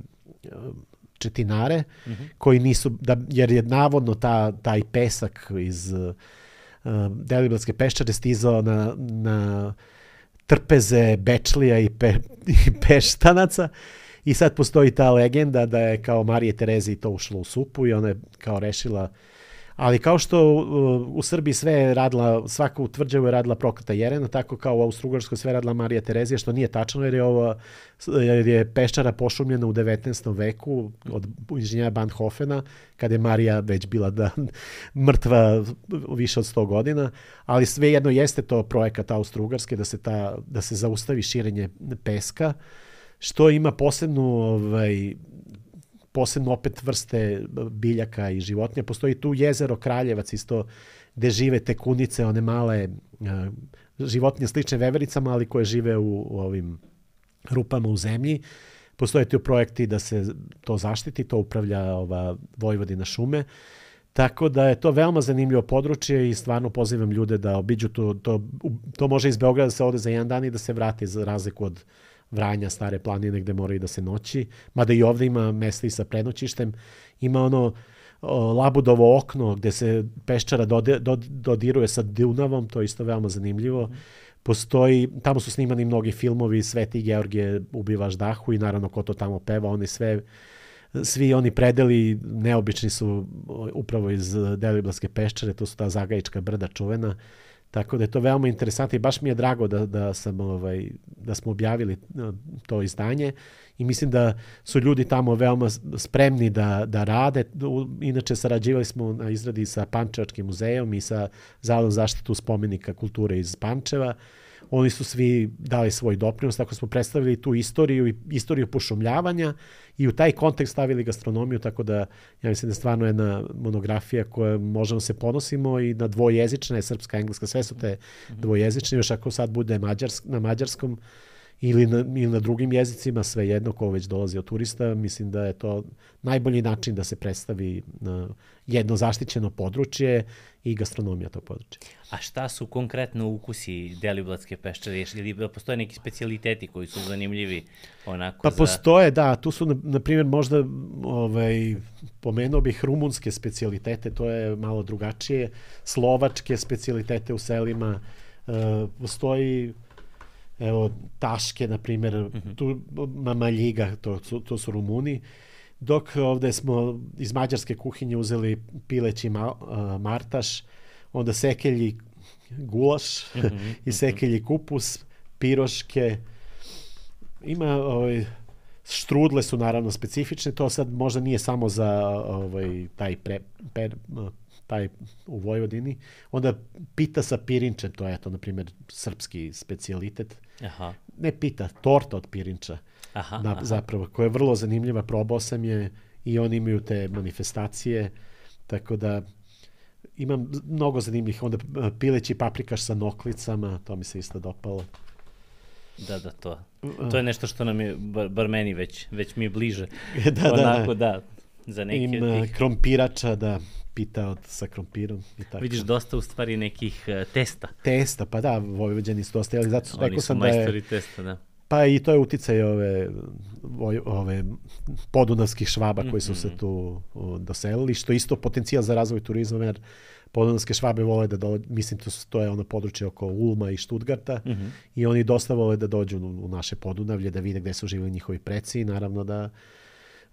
četinare, mm-hmm. koji nisu, da, jer je navodno ta, taj pesak iz uh, Deliblatske peščare stizao na, na trpeze Bečlija i, pe, i Peštanaca i sad postoji ta legenda da je kao Marije Tereziji to ušlo u supu i ona je kao rešila, ali kao što uh, u Srbiji sve je radila, svaku tvrđavu je radila prokleta Jerena, tako kao u Austrougarskoj sve radila Marija Terezija, što nije tačno jer je, ovo, jer je Peščara pošumljena u devetnaestom veku od inženjera Banhofena, kada je Marija već bila da, mrtva više od sto godina, ali svejedno jeste to projekat Austrougarske da se, ta, da se zaustavi širenje peska, što ima posebnu ovaj, posebno opet vrste biljaka i životinja. Postoji tu jezero Kraljevac isto gde žive te kunice, one male uh, životinje slične vevericama, ali koje žive u, u ovim rupama u zemlji. Postoje tu projekti da se to zaštiti, to upravlja ova Vojvodina šume. Tako da je to veoma zanimljivo područje i stvarno pozivam ljude da obiđu to. To, to može iz Beograda da se ode za jedan dan i da se vrati za razliku od Vranja, Stare planine gde moraju da se noći, mada i ovde ima mesta i sa prenoćištem. Ima ono o, Labudovo okno gde se Peščara dode, dod, dodiruje sa Dunavom, to je isto veoma zanimljivo. Postoji, tamo su snimani mnogi filmovi, Sveti Georgije ubivaš dahu i naravno ko to tamo peva, oni sve, svi oni predeli neobični su upravo iz Deliblatske Peščare, to su ta Zagajička brda čuvena. Tako da je to veoma interesantno i baš mi je drago da, da, sam, ovaj, da smo objavili to izdanje i mislim da su ljudi tamo veoma spremni da, da rade. Inače, sarađivali smo na izradi sa Pančevačkim muzejom i sa Zavodom zaštitu spomenika kulture iz Pančeva. Oni su svi dali svoj doprinos, tako smo predstavili tu istoriju i istoriju pošumljavanja i u taj kontekst stavili gastronomiju, tako da ja mislim da je stvarno jedna monografija koja možemo se ponosimo i na dvojezična je srpska, engleska, sve su te dvojezične, još ako sad bude mađarsk, na mađarskom ili na, ili na drugim jezicima, sve jedno ko već dolazi od turista, mislim da je to najbolji način da se predstavi na jedno zaštićeno područje i gastronomija tog područja. A šta su konkretno ukusi Deliblatske Peščare? Ili postoje neki specijaliteti koji su zanimljivi onako pa za... postoje, da, tu su na, na primjer možda ovaj, pomenuo bih rumunske specijalitete, to je malo drugačije, slovačke specijalitete u selima, uh, postoji evo, taške, na primjer, uh-huh. tu Mamaljiga, to, to, to su Rumuni, dok ovde smo iz mađarske kuhinje uzeli pileći ma, uh, martaš, onda sekelji gulaš uh-huh. i sekelji kupus, piroške, ima ovaj, štrudle su naravno specifične, to sad možda nije samo za ovaj, taj pre, per, taj u Vojvodini. Onda pita sa pirinčem, to je to, na primjer, srpski specijalitet. Aha. Ne pita, torta od pirinča. Aha, na, aha. Zapravo, koja je vrlo zanimljiva, probao sam je i oni imaju te manifestacije, tako da imam mnogo zanimljivih. Onda pileći paprikaš sa noklicama, to mi se isto dopalo. Da, da, to. To je nešto što nam je, bar, bar meni već, već mi je bliže. da, Onako, da, da. Za neki Im od tih... krompirača, da, pita od, sa krompirom. I tako. Vidiš dosta u stvari nekih uh, testa. Testa, pa da, Vojvođani su dosta, ali zato rekao sam da je... Oni su majstori testa, da. Pa i to je uticaj ove, ove podunavskih švaba koji su se tu doselili, što isto potencijal za razvoj turizma, jer podunavske švabe vole da dođu, mislim to, to je ono područje oko Ulma i Štutgarta uh-huh. i oni dosta vole da dođu u, u naše Podunavlje, da vide gde su živjeli njihovi preci i naravno da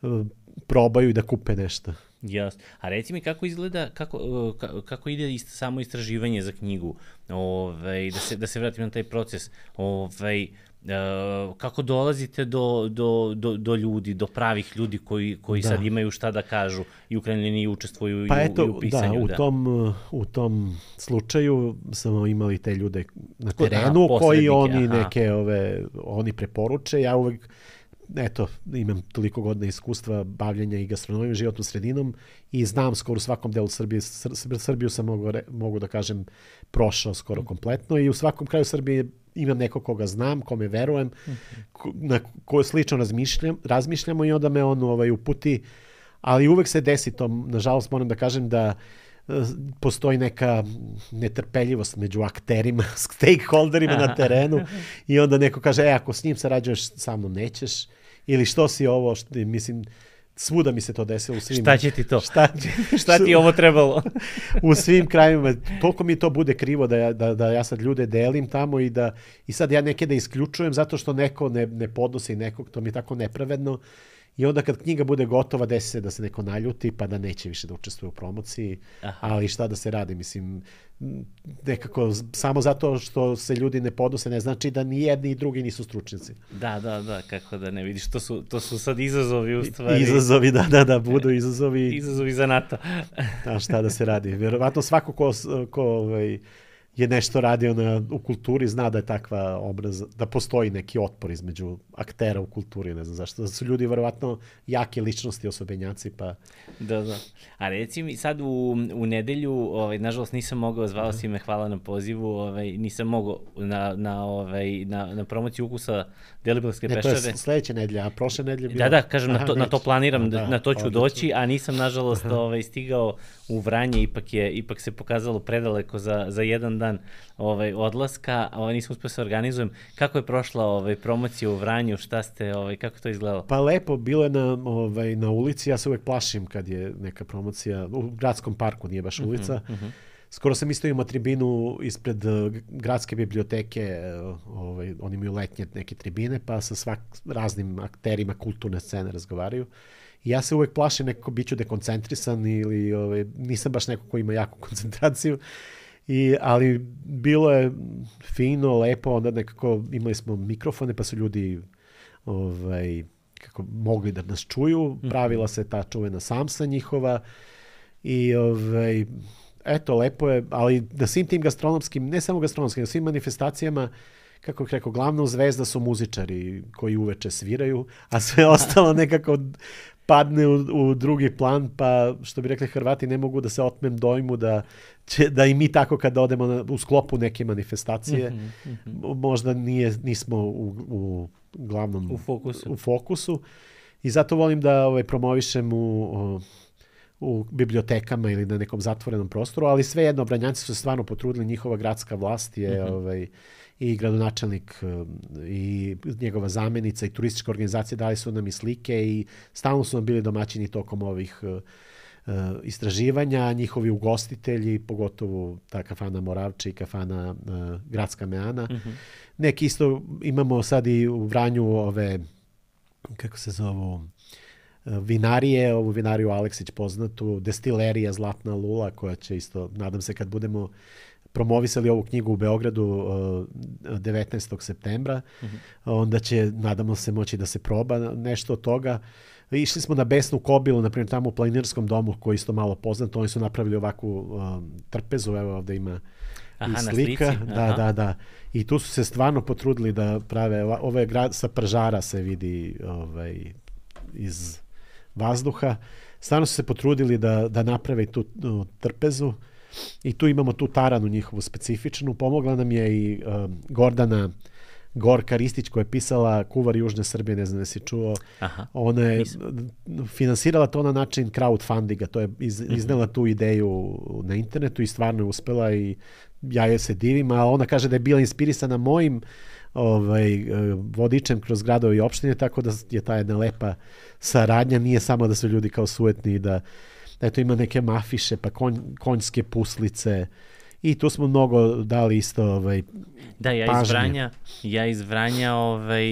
uh, probaju i da kupe nešto. Jasno. A reci mi kako izgleda, kako, kako ide ist, samo istraživanje za knjigu, ovaj, da, se, da se vratim na taj proces, ovaj, Uh, kako dolazite do, do, do, do ljudi, do pravih ljudi koji, koji sad imaju šta da kažu i u krajnjoj liniji učestvuju pa i, eto, i u pisanju. Da, u, da. Tom, u tom slučaju smo imali te ljude na terenu aha, koji oni aha. neke ove, oni preporuče. Ja uvek eto, imam toliko godina iskustva bavljenja i gastronomijom, životnom sredinom i znam skoro u svakom delu Srbije. Sr- Srbiju sam mogu, mogu da kažem prošao skoro kompletno i u svakom kraju Srbije imam neko koga znam, kome verujem, ko, na koje slično razmišljam, razmišljamo i onda me on ovaj, uputi, ali uvek se desi to, nažalost moram da kažem da postoji neka netrpeljivost među akterima, stakeholderima na terenu i onda neko kaže, e, ako s njim sarađuješ, sa mnom nećeš, ili što si ovo, što, mislim, svuda mi se to desilo u svim... Šta će ti to? Šta, šta ti ovo trebalo? U svim krajevima. Toliko mi to bude krivo da ja, da, da ja sad ljude delim tamo i da i sad ja neke da isključujem zato što neko ne, ne podnosi nekog, to mi je tako nepravedno. I onda kad knjiga bude gotova, desi se da se neko naljuti pa da neće više da učestvuje u promociji. Aha. Ali šta da se radi? Mislim, nekako samo zato što se ljudi ne podnose ne znači da ni jedni i drugi nisu stručnjaci. Da, da, da, kako da ne vidiš, to su, to su sad izazovi u stvari. Izazovi, da, da, da, budu izazovi. Izazovi za NATO. A šta da se radi? Vjerovatno svako ko, ko ovaj, je nešto radio na, u kulturi zna da je takva obraz, da postoji neki otpor između aktera u kulturi, ne znam zašto. Da su ljudi verovatno jake ličnosti, osobenjaci, pa... Da, da. A reci mi, sad u, u nedelju, ovaj, nažalost nisam mogao, zvao si me, hvala na pozivu, ovaj, nisam mogao na, na, ovaj, na, na promociju ukusa Deliblatske peščare. Ne, to je sledeća nedelja, a prošle nedelje bilo... Da, da, kažem, aha, na, to, na to planiram, da, na to ću odlično doći, a nisam, nažalost, ovaj, stigao u Vranje, ipak, je, ipak se pokazalo predaleko za, za jedan dan ovaj, odlaska, ovaj, nisam uspio se organizujem. Kako je prošla ovaj, promocija u Vranju, šta ste, ovaj, kako to izgledalo? Pa lepo, bilo je na, ovaj, na ulici, ja se uvek plašim kad je neka promocija, u gradskom parku, nije baš ulica. Uh-huh, uh-huh. Skoro sam isto imao tribinu ispred uh, gradske biblioteke, uh, ovaj, oni imaju letnje neke tribine, pa sa svak, raznim akterima kulturne scene razgovaraju. I ja se uvek plašim nekako bit ću dekoncentrisan ili ovaj, nisam baš neko ko ima jaku koncentraciju. I, ali bilo je fino, lepo, onda nekako imali smo mikrofone pa su ljudi ovaj, kako, mogli da nas čuju, pravila se ta čuvena samsa njihova i ovaj, eto, lepo je, ali da svim tim gastronomskim, ne samo gastronomskim, da svim manifestacijama, kako bih rekao, glavna zvezda su muzičari koji uveče sviraju, a sve ostalo nekako padne u, u drugi plan, pa što bi rekli Hrvati, ne mogu da se otmem dojmu da, će, da i mi tako kada odemo na, u sklopu neke manifestacije, mm-hmm, mm-hmm. možda nije, nismo u, u glavnom u fokusu. u fokusu. I zato volim da ovaj, promovišem u, u bibliotekama ili na nekom zatvorenom prostoru, ali svejedno, Vranjanci su se stvarno potrudili, njihova gradska vlast je mm-hmm. ovaj, i gradonačelnik i njegova zamenica i turistička organizacija dali su nam i slike i stalno su nam bili domaćini tokom ovih uh, istraživanja, njihovi ugostitelji, pogotovo ta kafana Moravče i kafana uh, Gradska Meana. Mm-hmm. Neki isto imamo sad i u Vranju ove, kako se zovu, vinarije, ovu vinariju Aleksić poznatu, destilerija Zlatna Lula koja će isto, nadam se kad budemo promovisali ovu knjigu u Beogradu uh, devetnaestog septembra, uh-huh. onda će, nadamo se, moći da se proba nešto od toga. Išli smo na Besnu Kobilu, na primjer tamo u Planinarskom domu, koji isto malo poznato, oni su napravili ovakvu um, trpezu, evo ovde ima aha, i slika. Da, da, da. I tu su se stvarno potrudili da prave, ovo je grad sa pržara se vidi ovaj, iz vazduha. Stvarno su se potrudili da, da naprave tu uh, trpezu. I tu imamo tu taranu njihovu specifičnu. Pomogla nam je i uh, Gordana Gorka Ristić koja je pisala Kuvar Južne Srbije, ne znam da si čuo. Aha, ona je nisam. Finansirala to na način crowdfundinga, to je iz, iznela tu ideju na internetu i stvarno je uspela i ja je se divim, a ona kaže da je bila inspirisana mojim ovaj, vodičem kroz gradove i opštine, tako da je ta jedna lepa saradnja, nije samo da su ljudi kao sujetni i da eto ima neke mafiše, pa konj, konjske puslice i tu smo mnogo dali isto ovaj, Da, ja iz Vranja, ja iz Vranja ovaj,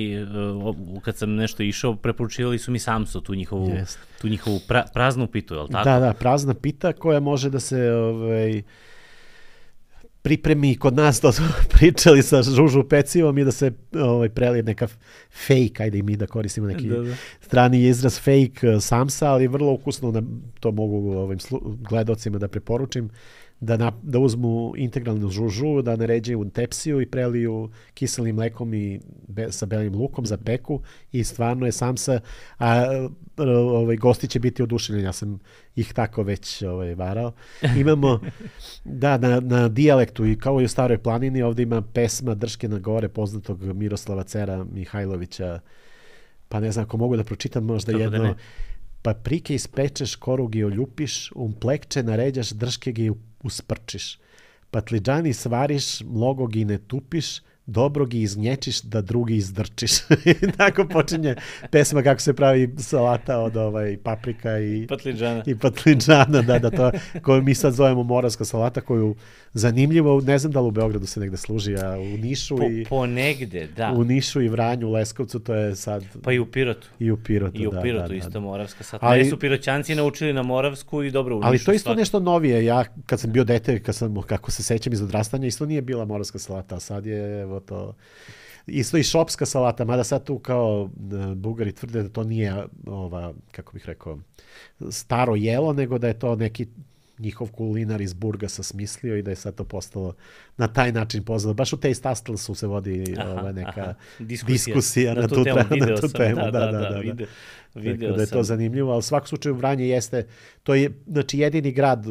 kad sam nešto išao, preporučivali su mi Samso, tu njihovu, yes. tu njihovu pra, praznu pitu, je li tako? Da, da, prazna pita koja može da se ovaj, pripremi kod nas, to smo pričali sa žužu pecivom i da se ovaj, prelije neka fake, ajde i mi da koristimo neki da, da. strani izraz fake Samsa, ali vrlo ukusno, na, to mogu ovim gledocima da preporučim, da, na, da uzmu integralnu žužu, da naređaju u tepsiju i preliju kiselim mlekom i be, sa belim lukom za peku i stvarno je Samsa, a ovaj, gosti će biti oduševljeni, ja sam ih tako već ovaj, varao. Imamo, da, na, na dijalektu i kao i u Staroj planini, ovdje ima pesma Drške na gore poznatog Miroslava Cera Mihajlovića, pa ne znam ako mogu da pročitam možda Tako jedno... Da paprike ispečeš, korugi oljupiš, um plekče naređaš, drške gi usprčiš. Patlidžani svariš, mnogo gi ne tupiš, dobro gi izgnječiš, da drugi izdrčiš. Tako počinje pesma kako se pravi salata od ovaj, paprika i patlidžana. I patlidžana, da, da, to, koju mi sad zovemo moravska salata, koju zanimljivo, ne znam da li u Beogradu se negde služi, a u Nišu po, i... Po negde, da. U Nišu i Vranju, u Leskovcu, to je sad... Pa i u Pirotu. I u Pirotu, I u da, Pirotu da, isto da. moravska salata. Ali su Piroćanci naučili na moravsku i dobro u Nišu. Ali to je isto svak... nešto novije. Ja, kad sam bio dete, kad sam, kako se sećam iz odrastanja, isto nije bila moravska salata, a sad je, evo to... Isto i šopska salata, mada sad tu kao Bugari tvrde da to nije ova, kako bih rekao, staro jelo, nego da je to neki njihov kulinar iz Burgasa smislio i da je sad to postalo na taj način poznato. Baš u Taste Hustlesu se vodi aha, ova neka aha. diskusija, diskusija na, na tu temu. Na tu temu. Da, da, da, da, da, da. Video, video da je to zanimljivo, ali u svakom slučaju Vranje jeste, to je znači jedini grad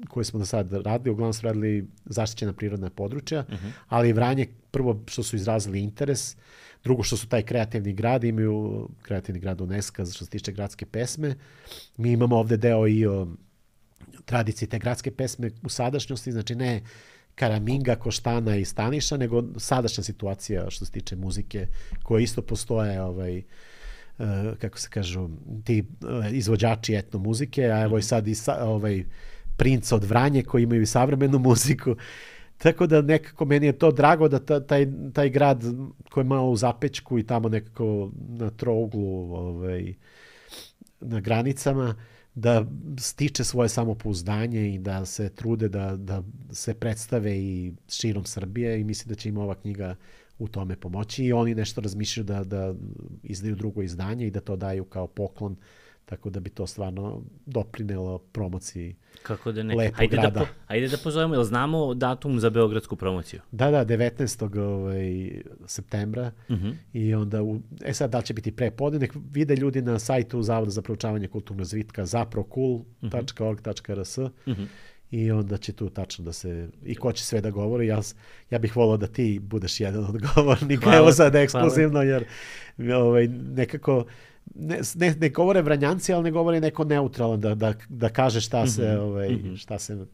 koji smo do sad radili, uglavnom smo radili zaštićena prirodna područja, uh-huh. ali Vranje prvo što su izrazili interes, drugo što su taj kreativni grad, imaju kreativni grad UNESCO što se tiče gradske pesme. Mi imamo ovde deo i o tradicije te gradske pesme u sadašnjosti, znači ne Karaminga, Koštana i Staniša, nego sadašnja situacija što se tiče muzike, koje isto postoje, ovaj, uh, kako se kažu, ti uh, izvođači etno muzike, a evo i sad i sa, ovaj, Princ od Vranje koji imaju i savremenu muziku. Tako da nekako meni je to drago da ta, taj, taj grad koji je malo u zapečku i tamo nekako na trouglu, ovaj, na granicama, da stiče svoje samopouzdanje i da se trude da, da se predstave i širom Srbije i mislim da će im ova knjiga u tome pomoći i oni nešto razmišljaju da, da izdaju drugo izdanje i da to daju kao poklon, tako da bi to stvarno doprinelo promociji Kako da ne? lepog Hajde grada. Da po, ajde da pozovemo, jel znamo datum za beogradsku promociju? Da, da, devetnaestog Ovaj, septembra uh-huh. i onda, u, e sad da li će biti prepodne, nek vide ljudi na sajtu Zavoda za proučavanje kulturnog razvitka zaprokul tačka org tačka r s uh-huh. i onda će tu tačno da se, i ko će sve da govori, ja, ja bih volao da ti budeš jedan od govornika, hvala, evo sad ekskluzivno, jer ovaj, nekako Ne, ne, ne govore Vranjanci, ali ne govore neko neutralan da, da, da kaže šta se, mm-hmm. ovaj, mm-hmm. šta se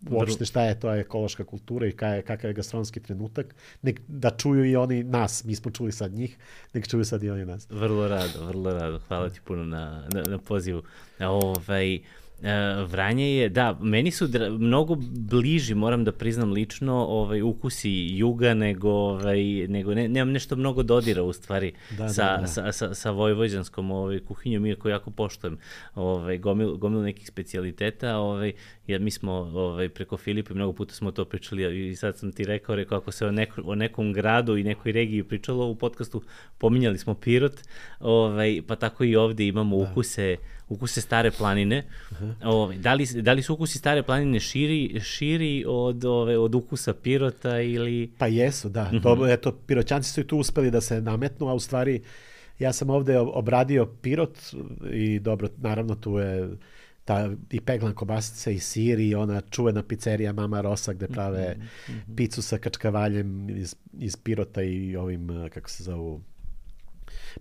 uopšte šta je to ekološka kultura i kaj, kakav je gastronomski trenutak. Nek, da čuju i oni nas, mi smo čuli sad njih, nek čuju sad i oni nas. Vrlo rado, vrlo rado. Hvala ti puno na, na, na pozivu. Ovaj, Uh, Vranje je, da, meni su dra- mnogo bliži, moram da priznam lično, ovaj, ukusi juga nego, ovaj, nego ne, nemam nešto mnogo dodira u stvari da, sa, da, da. Sa, sa, sa vojvođanskom ovaj, kuhinjom, iako jako poštujem ovaj, gomil, gomil nekih specijaliteta, ovaj, jer mi smo ovaj, preko Filipa mnogo puta smo to pričali i sad sam ti rekao, rekao ako se o, neko, o nekom gradu i nekoj regiji pričalo u podcastu, pominjali smo Pirot, ovaj, pa tako i ovde imamo da. ukuse ukuse Stare planine. Uh-huh. Ove, da, li, da li su ukusi Stare planine širi, širi od, ove, od ukusa Pirota ili... Pa jesu, da. Uh-huh. To, eto, Piroćanci su i tu uspeli da se nametnu, a u stvari ja sam ovde obradio Pirot i dobro, naravno tu je ta i peglan kobasica i sir i ona čuvena pizzerija Mama Rosa gde prave uh-huh. picu sa kačkavaljem iz, iz Pirota i ovim, kako se zovu,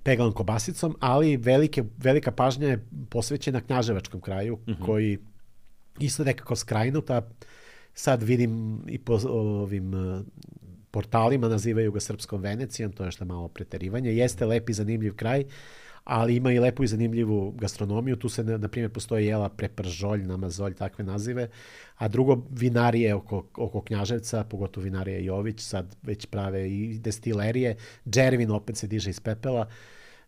peglanom kobasicom, ali velike, velika pažnja je posvećena Knjaževačkom kraju, uh-huh. koji isto nekako skrajnuta. Sad vidim i po ovim portalima nazivaju ga Srpskom Venecijom, to je što malo preterivanje. Jeste lep i zanimljiv kraj, ali ima i lepu i zanimljivu gastronomiju. Tu se, na primjer, postoji jela prepržolj, namazolj, takve nazive. A drugo, vinarije oko, oko Knjaževca, pogotovo vinarije Jović, sad već prave i destilerije. Džervin opet se diže iz pepela.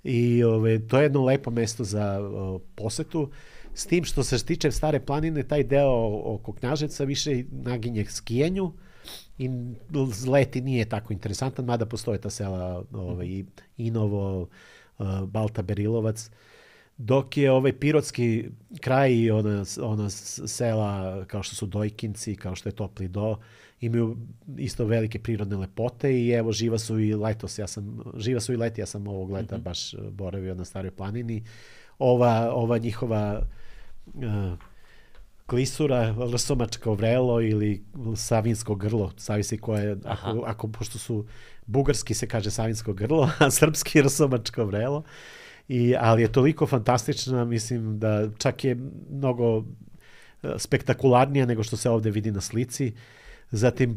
I ove, to je jedno lepo mesto za o, posetu. S tim što se tiče Stare planine, taj deo oko Knjaževca više naginje skijenju i leti nije tako interesantan, mada postoje ta sela ovaj, Inovo, Balta Berilovac, dok je ovaj pirotski kraj i ona, ona sela kao što su Dojkinci, kao što je Topli Do, imaju isto velike prirodne lepote i evo živa su i letos, ja sam, živa su i leti, ja sam ovog leta mm-hmm. baš boravio na Staroj planini. Ova, ova njihova uh, klisura, rsomačko vrelo ili savinsko grlo, zavisi koje, ako, ako, pošto su bugarski se kaže savinsko grlo, a srpski rsomačko vrelo. I, ali je toliko fantastična, mislim da čak je mnogo spektakularnija nego što se ovde vidi na slici. Zatim,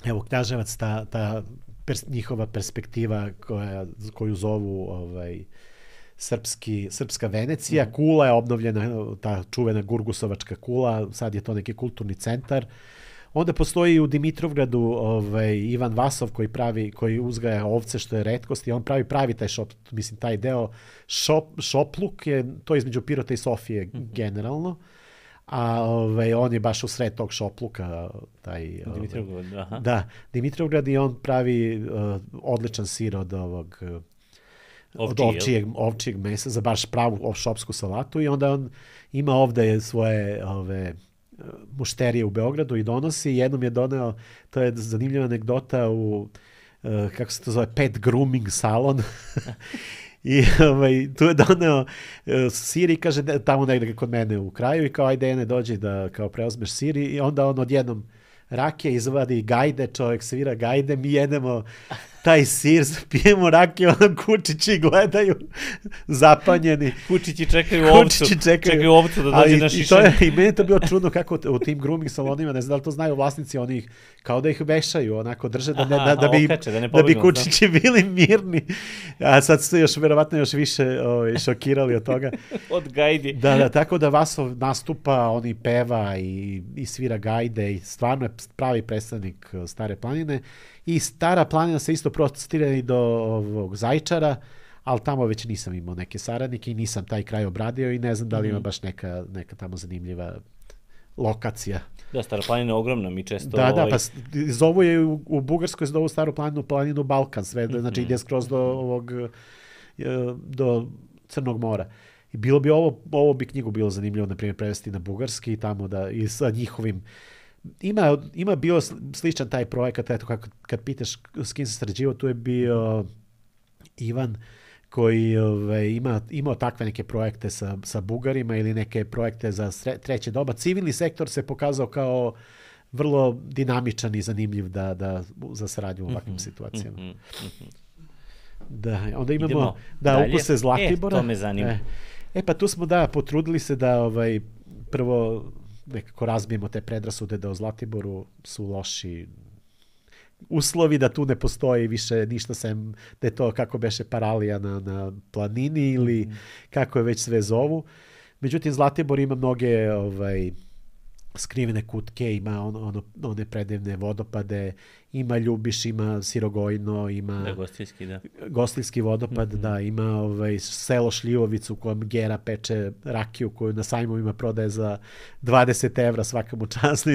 evo, Knjaževac, ta, ta pers, njihova perspektiva koja, koju zovu ovaj, srpski, srpska Venecija. Mm. Kula je obnovljena, ta čuvena Gurgusovačka kula, sad je to neki kulturni centar. Onda postoji u Dimitrovgradu ovaj, Ivan Vasov koji pravi, koji uzgaja ovce, što je retkost, i on pravi pravi taj šop, mislim, taj deo šop, šopluk je to između Pirota i Sofije mm-hmm. generalno, a ovaj, on je baš u sred tog šopluka, taj Dimitrovgrad, ovaj, aha. Da, Dimitrovgrad, i on pravi uh, odličan sir od ovog od ovčijeg, ovčijeg mesa za baš pravu šopsku salatu, i onda on ima ovde svoje ove mušterije u Beogradu i donosi. Jednom je doneo, to je zanimljiva anegdota, u, uh, kako se to zove, pet grooming salon. I ovaj, tu je doneo uh, sir i kaže, da, tamo negdje kod mene u kraju, i kao, ajde, ene, dođi da kao preozmeš sir, i onda on odjednom rakije izvadi gajde, čovjek svira gajde, mi jedemo taj sir, pijemo rakije, ono kučići gledaju zapanjeni. Kučići čekaju ovcu, kučići čekaju, čekaju ovcu da dođe na šišanje. I, I meni to bilo čudno kako u tim grooming salonima, ne znam da li to znaju vlasnici, oni ih, kao da ih vešaju, onako drže da, ne, da, da, bi, okače, da, da bi kučići bili mirni. A sad su još verovatno još više o, šokirali od toga. Od gajdi. Da, da, tako da Vasov nastupa, on i peva i, i svira gajde i stvarno je pravi predstavnik Stare planine. I Stara planina se isto prostire i do ovog Zaječara, ali tamo već nisam imao neke saradnike i nisam taj kraj obradio i ne znam da li ima baš neka, neka tamo zanimljiva lokacija. Da, Stara planina je ogromna, mi često... Da, da, pa zovu je u, u Bugarskoj, zovu Staru planinu, planinu Balkan, sve, mm-hmm. znači ide skroz do ovog, do Crnog mora. I bilo bi ovo, ovo bi knjigu bilo zanimljivo, na primjer, prevesti na bugarski i tamo da, i sa njihovim... Ima, ima bio sličan taj projekat, eto, kako, kad pitaš s kim se sređivao, tu je bio Ivan, koji ove, ima, imao takve neke projekte sa, sa Bugarima ili neke projekte za sre, treće doba. Civilni sektor se pokazao kao vrlo dinamičan i zanimljiv da, da, za saradnju u ovakvim mm-hmm, situacijama. Mm-hmm. Da, onda imamo Idemo da dalje. Ukuse Zlatibora. E, to me zanima. E, e pa tu smo da potrudili se da ovaj, prvo nekako razbijemo te predrasude da u Zlatiboru su loši uslovi, da tu ne postoji više ništa sem da je to kako beše paralija na, na planini ili mm. kako je već sve zovu. Međutim, Zlatibor ima mnoge ovaj, skrivene kutke, ima on, ono, one predivne vodopade, ima Ljubiš, ima Sirogojno, ima da, gostiljski, da. gostiljski vodopad, mm-hmm. da, ima ovaj, selo Šljivovicu u kojem Gera peče rakiju koju na sajmovima prodaje za dvadeset evra svakamu času.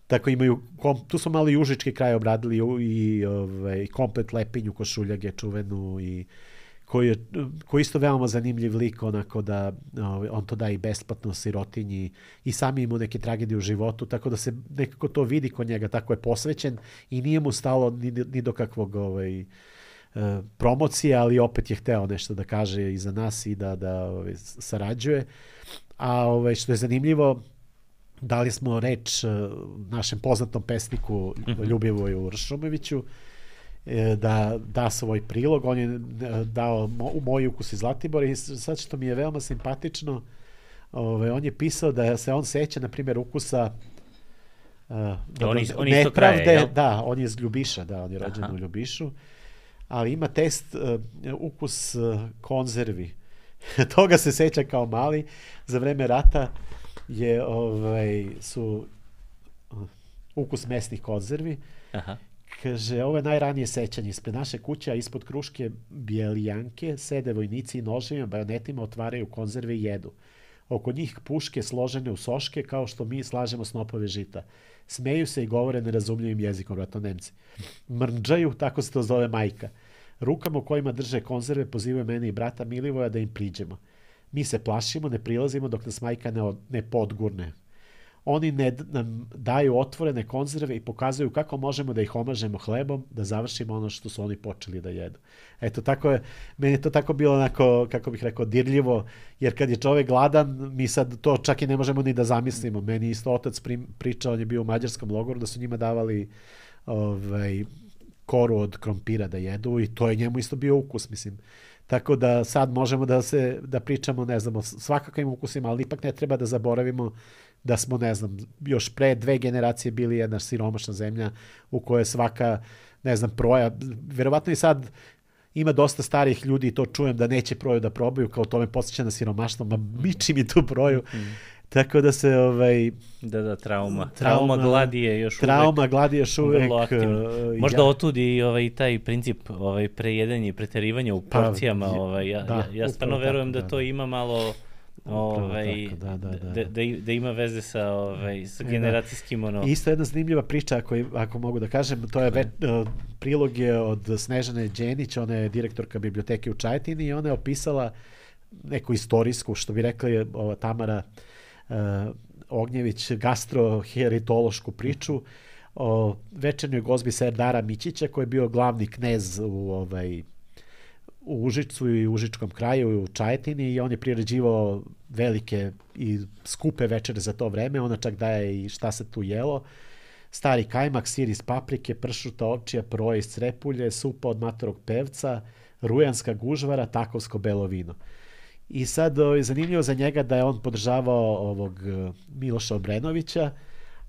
Tako imaju, tu su malo i užički kraj obradili i ovaj, komplet Lepinju Košuljage čuvenu i koji je koji isto veoma zanimljiv lik, onako da on to da i besplatno sirotinji i sami ima neke tragedije u životu, tako da se nekako to vidi kod njega, tako je posvećen i nije mu stalo ni, ni do kakvog ovaj, promocije, ali opet je hteo nešto da kaže i za nas i da, da ovaj, sarađuje. A ovaj, što je zanimljivo, dali smo reč našem poznatom pesniku Ljubivoju Ršumoviću da da svoj prilog. On je dao u moj ukus iz Zlatibora i sad što mi je veoma simpatično, ovaj, on je pisao da se on seća, na primjer, ukusa uh, on, iz, on isto kraje, jel? Da, on je iz Ljubiša, da, on je rođen Aha. u Ljubišu. ali ima test uh, ukus uh, konzervi. Toga se seća kao mali. Za vreme rata je, ovaj, su uh, ukus mesnih konzervi. Aha. Kaže, ovo je najranije sećanje. Ispred naše kuće, a ispod kruške bijelijanke, sede vojnici i noževima, bajonetima, otvaraju konzerve i jedu. Oko njih puške složene u soške, kao što mi slažemo snopove žita. Smeju se i govore nerazumljivim jezikom, vratno Nemci. Mrnđaju, tako se to zove majka. Rukama u kojima drže konzerve pozivaju mene i brata Milivoja da im priđemo. Mi se plašimo, ne prilazimo dok nas majka ne, od, ne podgurne. Oni ne, nam daju otvorene konzerve i pokazuju kako možemo da ih omažemo hlebom, da završimo ono što su oni počeli da jedu. Eto, tako je, meni je to tako bilo onako, kako bih rekao, dirljivo, jer kad je čovek gladan, mi sad to čak i ne možemo ni da zamislimo. Meni isto otac pri, pričao, on je bio u mađarskom logoru, da su njima davali ovaj, koru od krompira da jedu i to je njemu isto bio ukus, mislim. Tako da sad možemo da se da pričamo, ne znam, o svakakvim ukusima, ali ipak ne treba da zaboravimo da smo, ne znam, još pre dve generacije bili jedna siromašna zemlja u kojoj svaka, ne znam, proja, verovatno i sad ima dosta starih ljudi i to čujem da neće proju da probaju, kao to me podsjeća na siromaštvo, ma miči mi tu proju. Mm. Tako da se ovaj da da trauma trauma, trauma gladi je još trauma uvek trauma gladi je još uvek uh, možda ja. Otudi i ovaj taj princip ovaj prejedanje i preterivanja u porcijama, pa, ovaj ja da, ja, ja stvarno verujem tako, da, da to ima malo ovaj tako, da, da, da, da. Da, da ima veze sa ovaj sa generacijskim ono. Isto jedna zanimljiva priča, ako ako mogu da kažem, to je ve, uh, prilog je od Snežane Đenić, ona je direktorka biblioteke u Čajetini i ona je opisala neku istorijsku, što bi rekli ova Tamara Uh, Ognjević, gastroheritološku priču o večernjoj gozbi Serdara Mićića, koji je bio glavni knez u, ovaj, u Užicu i Užičkom kraju i u Čajetini i on je priređivao velike i skupe večere za to vreme, ona čak daje i šta se tu jelo. Stari kajmak, sir iz paprike, pršuta, ovčija, proje iz crepulje, supa od matorog pevca, rujanska gužvara, takovsko belo vino. I sad je zanimljivo za njega da je on podržavao ovog Miloša Obrenovića,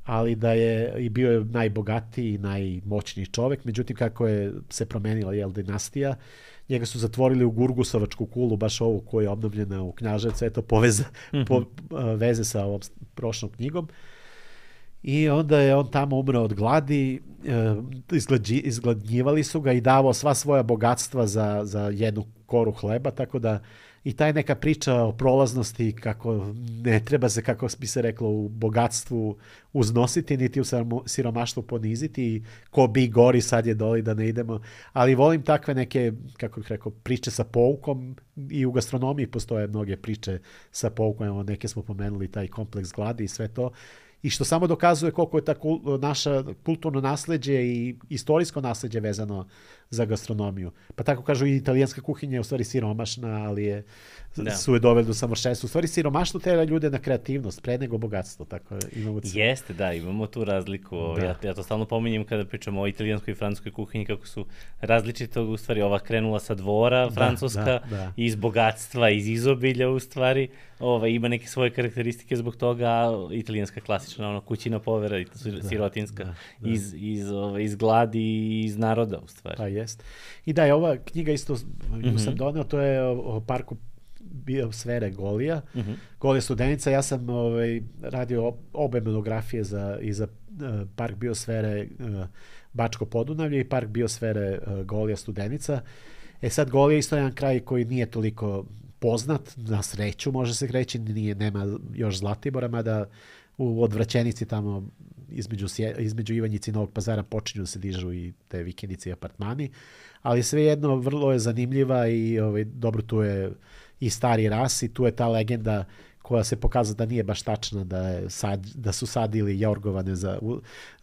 ali da je i bio je najbogatiji i najmoćniji čovek. Međutim, kako je se promenila jel, dinastija, njega su zatvorili u Gurgusovačku kulu, baš ovu koja je obnovljena u Knjaževcu, eto poveza, mm-hmm. po, veze sa ovom prošlom knjigom. I onda je on tamo umrao od gladi, izgladnji, izgladnjivali su ga i davao sva svoja bogatstva za, za jednu koru hleba, tako da i taj neka priča o prolaznosti, kako ne treba se, kako bi se reklo, u bogatstvu uznositi, niti u siromaštvu poniziti i ko bi gori sad je doli da ne idemo. Ali volim takve neke, kako bih rekao, priče sa poukom i u gastronomiji postoje mnoge priče sa poukom, evo neke smo pomenuli, taj kompleks gladi i sve to. I što samo dokazuje koliko je ta kul, naša kulturno nasleđe i istorijsko nasleđe vezano za gastronomiju. Pa tako kažu i italijanska kuhinja je u stvari siromašna, ali je, da. su je doveli do samošćenstva. U stvari siromaštvo tera ljude na kreativnost, pre nego bogatstvo. Tako imamo Jeste, da, imamo tu razliku. Da. Ja, ja to stalno pominjem kada pričamo o italijanskoj i francuskoj kuhinji, kako su različite, u stvari ova krenula sa dvora, da, francuska, da, da. iz bogatstva, iz izobilja u stvari. Ova, ima neke svoje karakteristike zbog toga, a italijanska klasična, ono, kućina povera, da, sirotinska, da, da. iz, iz, ove, iz gladi i iz naroda u stvari. Pa jest. I da je ova knjiga isto, mm-hmm. sam doneo, to je o, o parku biosfere Golija. Mm-hmm. Golija Studenica, ja sam ovaj, radio obe monografije za, i za uh, park biosfere uh, Bačko Podunavlje i park biosfere uh, Golija Studenica. E sad Golija isto jedan kraj koji nije toliko poznat, na sreću može se reći, nije, nema još Zlatibora, mada u Odvraćenici tamo između, između Ivanjice i Novog Pazara počinju da se dižu i te vikendice i apartmani, ali svejedno vrlo je zanimljiva i ovaj, dobro tu je i stari ras i tu je ta legenda koja se pokazala da nije baš tačna, da, je sad, da su sadili jorgovane za,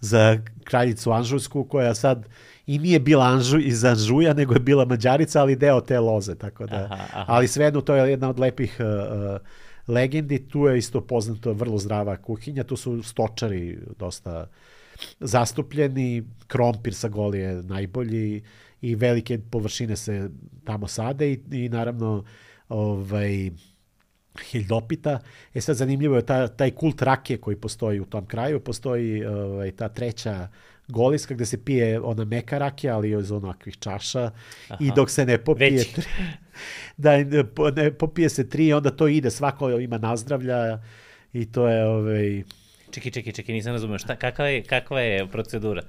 za kraljicu Anžujsku, koja sad i nije bila Anžu, iz Anžuja, nego je bila Mađarica, ali deo te loze. Tako da, aha, aha. Ali svejedno to je jedna od lepih uh, legendi. Tu je isto poznato vrlo zdrava kuhinja. Tu su stočari dosta zastupljeni. Krompir sa Golije najbolji i velike površine se tamo sade i, i naravno ovaj, hiljdopita. E sad zanimljivo je ta, taj kult rakije koji postoji u tom kraju. Postoji ovaj, ta treća Goliska gde se pije ona meka rakija, ali iz onakvih čaša. Aha. I dok se ne popije tri, da ne popije se tri, onda to ide, svako ima nazdravlja i to je ovaj... Čekaj, čekaj, čekaj, nisam razumio. Šta, kakva je, kakva je procedura?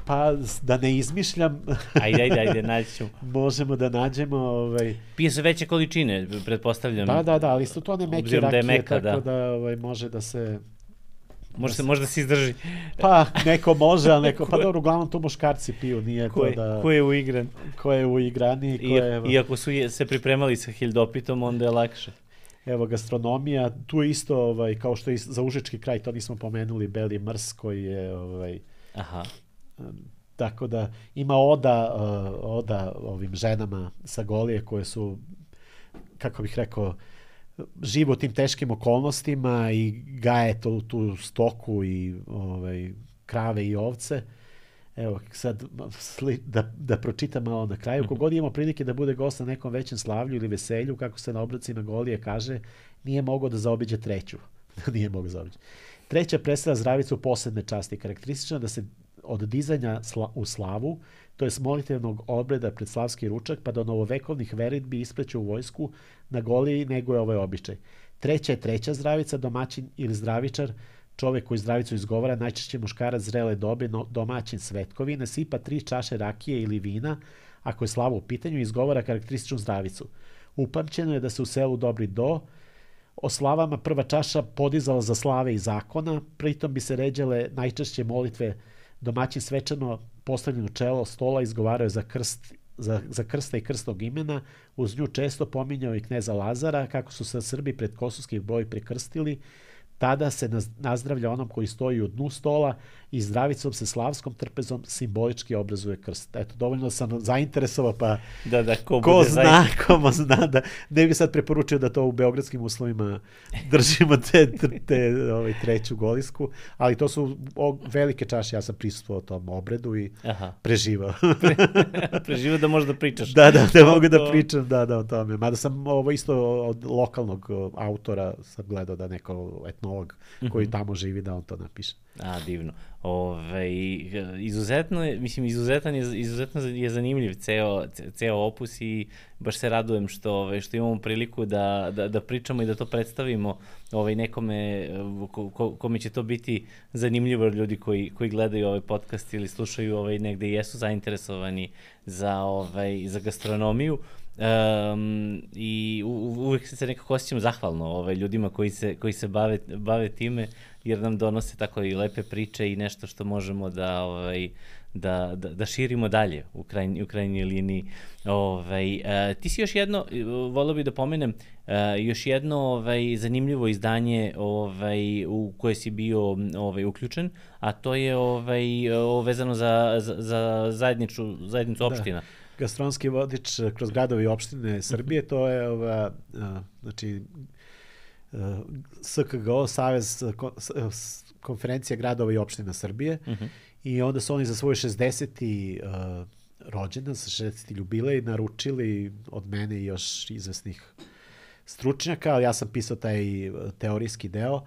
Pa, da ne izmišljam. Ajde, ajde, ajde, naći ćemo. Možemo da nađemo... Ovaj... Pije se veće količine, pretpostavljam. Da, da, da, ali su to ne meke rakije, meka, tako da, da ovaj, može da se... Može se, može da se izdrži. Pa, neko može, ali neko... Pa dobro, uglavnom to muškarci piju, nije ko je, to da... Ko je uigran. Ko je uigrani. Ko je, evo... Iako su se pripremali sa hildopitom, onda je lakše. Evo, gastronomija, tu je isto, ovaj, kao što je za Užički kraj, to nismo pomenuli, Beli Mrs koji je... Ovaj, aha. Tako da ima oda, uh, oda ovim ženama sa Golije koje su, kako bih rekao, žive u tim teškim okolnostima i gaje tu, tu stoku i ovaj, krave i ovce. Evo, sad da, da pročitam malo na kraju. Kogod imamo prilike da bude gost na nekom većem slavlju ili veselju, kako se na obrocima Golije kaže, nije mogao da zaobiđe treću. nije mogao zaobiđe. Treća predstavlja zdravicu posebne časti. Karakteristično da se od dizanja sla, u slavu, to je molitevnog obreda pred slavski ručak, pa do novovekovnih veritbi ispreću u vojsku na Goliji nego je ovaj običaj. Treća je treća zdravica, domaćin ili zdravičar, čovjek koji zdravicu izgovara, najčešće muškarac zrele dobe, no, domaćin svetkovine, sipa tri čaše rakije ili vina, ako je slava u pitanju, izgovara karakterističnu zdravicu. Upamćeno je da se u selu Dobri Do o slavama prva čaša podizala za slave i zakona, pritom bi se ređale najčešće molitve. Domaćin svečano postavljeno čelo stola izgovarao za, krst, za, za krsta i krstnog imena, uz nju često pominjao i kneza Lazara, kako su se Srbi pred kosovskih broj prekrstili. Tada se nazdravlja onom koji stoji u dnu stola i zdravicom se slavskom trpezom simbolički obrazuje krst. Eto, dovoljno sam zainteresovao, pa da, da, ko, ko zna, ko zna, da ne bi sad preporučio da to u beogradskim uslovima držimo te, te ovaj, treću Golisku, ali to su o, velike čaše, ja sam prisustvovao tom obredu i aha, preživao. Pre, preživao da možeš da pričaš. Da, da, da mogu da pričam, da, da, o tome. Mada sam ovo isto od lokalnog autora sam gledao da neko etnolog koji tamo živi da on to napiše. A, divno. Ove, izuzetno je, mislim, izuzetan je, izuzetno je zanimljiv ceo, ceo opus i baš se radujem što, ove, što imamo priliku da, da, da pričamo i da to predstavimo ove, nekome ko, ko, kome će to biti zanimljivo, ljudi koji, koji gledaju ovaj podcast ili slušaju ovaj, negde i jesu zainteresovani za, ovaj, za gastronomiju. Um, i u, uvek se nekako osjećam zahvalno ovaj, ljudima koji se, koji se bave, bave time, jer nam donose tako i lepe priče i nešto što možemo da, ovaj, da, da, da širimo dalje u, krajnj, u krajnjoj liniji. Ovaj, uh, ti si još jedno, volio bih da pomenem, uh, još jedno ovaj, zanimljivo izdanje ovaj, u koje si bio ovaj, uključen, a to je ovaj, vezano za, za, za zajedniču, zajednicu opština. Da. Gastronomski vodič kroz gradove i opštine Srbije, to je ova, a, znači S K G O, Savez konferencija gradova i opština Srbije, uh-huh. I onda su oni za svoj šezdeseti uh, rođendan, sa šezdeseti jubilej naručili od mene i još izvesnih stručnjaka, ali ja sam pisao taj teorijski deo,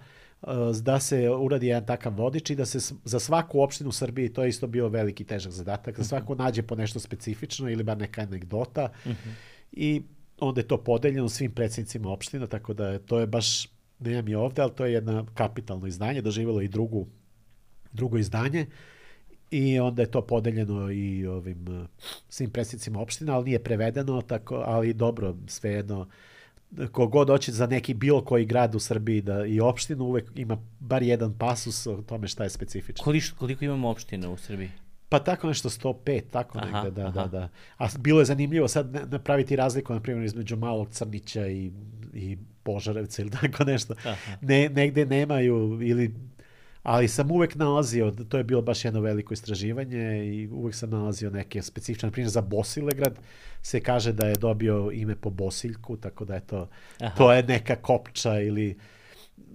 da se uradi jedan takav vodič i da se za svaku opštinu u Srbiji, to je isto bio veliki težak zadatak, da svako nađe po nešto specifično ili bar neka anegdota uh-huh. I onda je to podeljeno svim predsjednicima opština, tako da to je baš, nemam je ovde, ali to je jedno kapitalno izdanje, doživjelo i drugu, drugo izdanje i onda je to podeljeno i ovim svim predsjednicima opština, ali nije prevedeno, tako, ali dobro, svejedno, kogod hoće za neki bilo koji grad u Srbiji da i opštinu, uvek ima bar jedan pasus o tome šta je specifično. Koliko, koliko imamo opština u Srbiji? Pa tako nešto sto pet, tako aha, negde, da, aha. da, da. A bilo je zanimljivo sad napraviti razliku, na primjer, između Malog Crnića i, i Požarevca ili tako nešto. Ne, negde nemaju, ili, ali sam uvek nalazio, to je bilo baš jedno veliko istraživanje i uvek sam nalazio neke specifične, na primjer za Bosilegrad se kaže da je dobio ime po Bosiljku, tako da je to, to je neka kopča ili,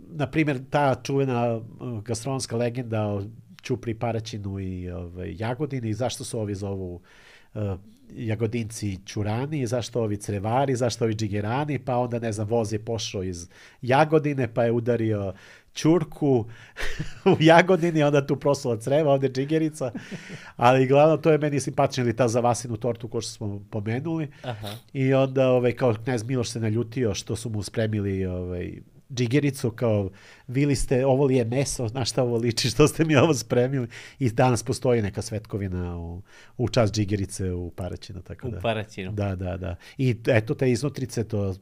na primjer, ta čuvena gastronomska legenda o Ćupri, Paraćinu i ovaj, Jagodini, zašto su ovi zovu uh, Jagodinci Ćurani, zašto ovi Crevari, zašto ovi Džigerani, pa onda, ne znam, voz je pošao iz Jagodine, pa je udario ćurku u Jagodini, onda tu prosula creva, ovde džigerica, ali glavno to je meni simpatično, ili ta za Vasinu tortu ko što smo pomenuli. Aha. I onda ovaj, kao knez Miloš se naljutio što su mu spremili ovaj, džigericu, kao vili ste, ovo li je meso, na šta ovo liči, što ste mi ovo spremili. I danas postoji neka svetkovina u, u čast džigerice u Paraćinu. Tako da. U Paraćinu. Da, da, da. I eto te iznutrice, to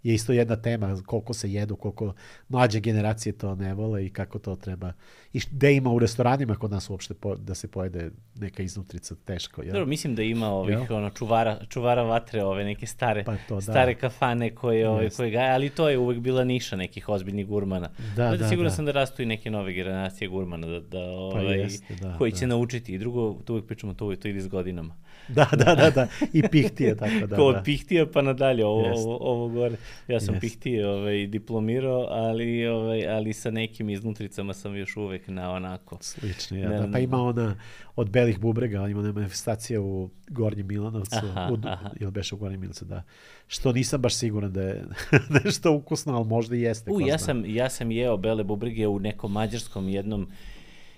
je isto jedna tema, koliko se jedu, koliko mlađe generacije to ne vole i kako to treba. I gde ima u restoranima kod nas uopšte po, da se pojede neka iznutrica teško. Jel? Dobro, mislim da ima ovih ono, čuvara, čuvara vatre, ove neke stare, pa to, stare kafane koje, ove, koje gaje, ali to je uvek bila niša nekih ozbiljnih gurmana. Da, da, da, sigurno da. sam da rastu i neke nove generacije gurmana da, da, ovaj, pa jeste, da, koji će da. naučiti. I drugo, to uvek pričamo, to, to ide s godinama. Da, da, da, da. I pihtije, tako da. Ko od da. pihtija pa nadalje, ovo, ovo, ovo gore. Ja sam Jest. pihtije ovaj, diplomirao, ali, ovaj, ali sa nekim iznutricama sam još uvek na onako. Slično, ja. Da, pa ima ona od belih bubrega, ima ona manifestacija u Gornjem Milanovcu, aha, u, aha. ili beše u Gornjem Milanovcu, da. Što nisam baš siguran da je nešto ukusno, ali možda i jeste. U, ja sam, ja sam jeo bele bubrege u nekom mađarskom jednom,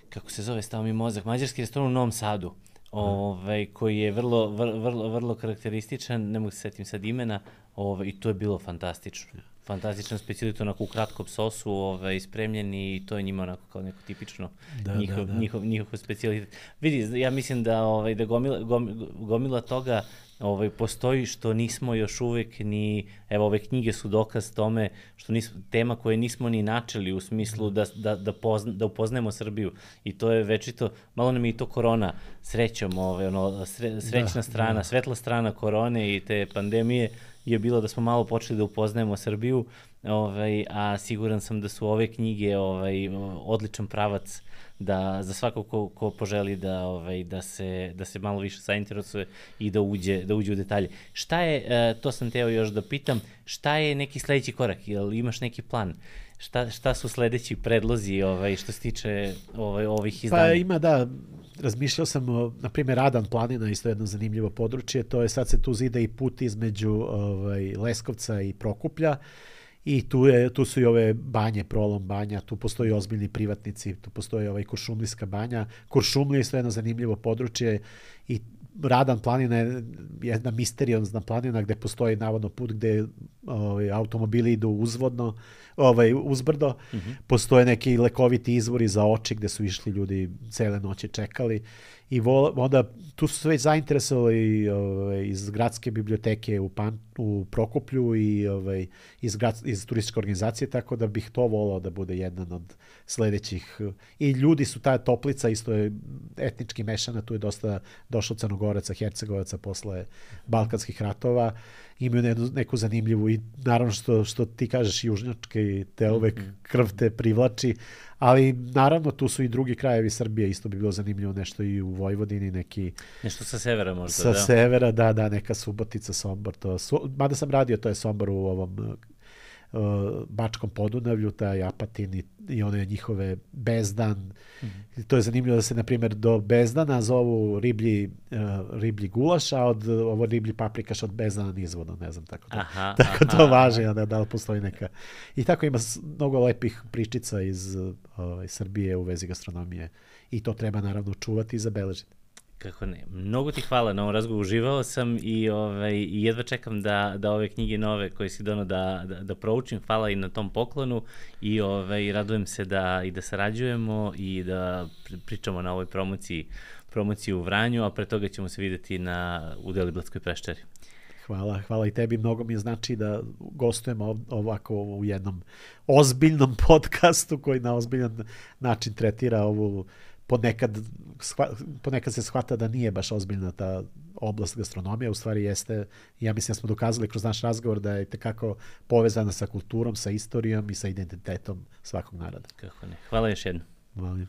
kako se zove, stao mi mozak, mađarski restoran u Novom Sadu. Ovaj, koji je vrlo, vrlo, vrlo karakterističan, ne mogu se setim sad imena, ovaj, i to je bilo fantastično. Fantastičan specijalitet, onako u kratkom sosu ovaj, spremljeni i to je njima onako kao neko tipično da, njihov, da, da. njihov, njihov specijalitet. Vidi, ja mislim da, ovaj, da gomila, gomila, gomila toga ovaj, postoji što nismo još uvek ni, evo ove knjige su dokaz tome, što nismo, tema koje nismo ni načeli u smislu da, da, da, pozna, da upoznajemo Srbiju i to je večito, malo nam je i to korona srećom, ovaj, ono, sre, srećna da, strana, da. svetla strana korone i te pandemije je bilo da smo malo počeli da upoznajemo Srbiju, ovaj, a siguran sam da su ove knjige ovaj, odličan pravac da za svakog ko, ko poželi da ovaj da se da se malo više zainteresuje i da uđe da uđe u detalje. Šta je, to sam teo još da pitam, šta je neki sledeći korak? Jel imaš neki plan? Šta, šta su sledeći predlozi ovaj što se tiče ovaj ovih izdanja? Pa ima da razmišljao sam, na primjer, Radan planina, isto jedno zanimljivo područje, to je sad se tu zida i put između ovaj, Leskovca i Prokuplja i tu, je, tu su i ove banje, Prolom banja, tu postoji ozbiljni privatnici, tu postoji ovaj Kuršumlijska banja. Kuršumlija je isto jedno zanimljivo područje i Radan planina je jedna misteriozna planina gde postoji navodno put gde ovaj, automobili idu uzvodno, ovaj, uzbrdo. Mm-hmm. Postoje neki lekoviti izvori za oči gde su išli ljudi cele noći čekali. I vo, onda tu su se već zainteresovali ovaj, iz gradske biblioteke u, Pan, u Prokuplju i ovaj, iz, grad, iz turističke organizacije, tako da bih to volao da bude jedan od sledećih. I ljudi su, ta Toplica isto je etnički mešana, tu je dosta došlo Crnogoraca, Hercegovaca posle Balkanskih ratova. Imaju neku, neku zanimljivu i naravno što, što ti kažeš južnjačke, te uvek krv te privlači, ali naravno tu su i drugi krajevi Srbije, isto bi bilo zanimljivo nešto i u Vojvodini, neki... Nešto sa severa možda, sa da? Sa severa, da, da, neka Subotica, Sombor, to, su, mada sam radio, to je Sombor u ovom uh, Bačkom Podunavlju, taj Apatin i, i one njihove Bezdan. Mm-hmm. To je zanimljivo da se, na primjer, do Bezdana zovu riblji, uh, riblji gulaš, a od ovo riblji paprikaš od Bezdana nizvodno, ne znam, tako, to, aha, tako aha, to važi, da, da li postoji neka... I tako ima mnogo lepih pričica iz uh, Srbije u vezi gastronomije i to treba naravno čuvati i zabeležiti. Kako ne. Mnogo ti hvala na ovom razgovoru, uživao sam i, ovaj, i jedva čekam da, da ove knjige nove koje si dono da, da, da proučim. Hvala i na tom poklonu i ovaj, radujem se da, i da sarađujemo i da pričamo na ovoj promociji, promociji u Vranju, a pre toga ćemo se videti na, u Deliblatskoj peščari. Hvala, hvala i tebi, mnogo mi znači da gostujemo ovako u jednom ozbiljnom podcastu koji na ozbiljan način tretira ovu ponekad, ponekad se shvata da nije baš ozbiljna ta oblast gastronomije, u stvari jeste, ja mislim da smo dokazali kroz naš razgovor da je tekako povezana sa kulturom, sa istorijom i sa identitetom svakog naroda. Kako ne. Hvala još jednom. Hvala.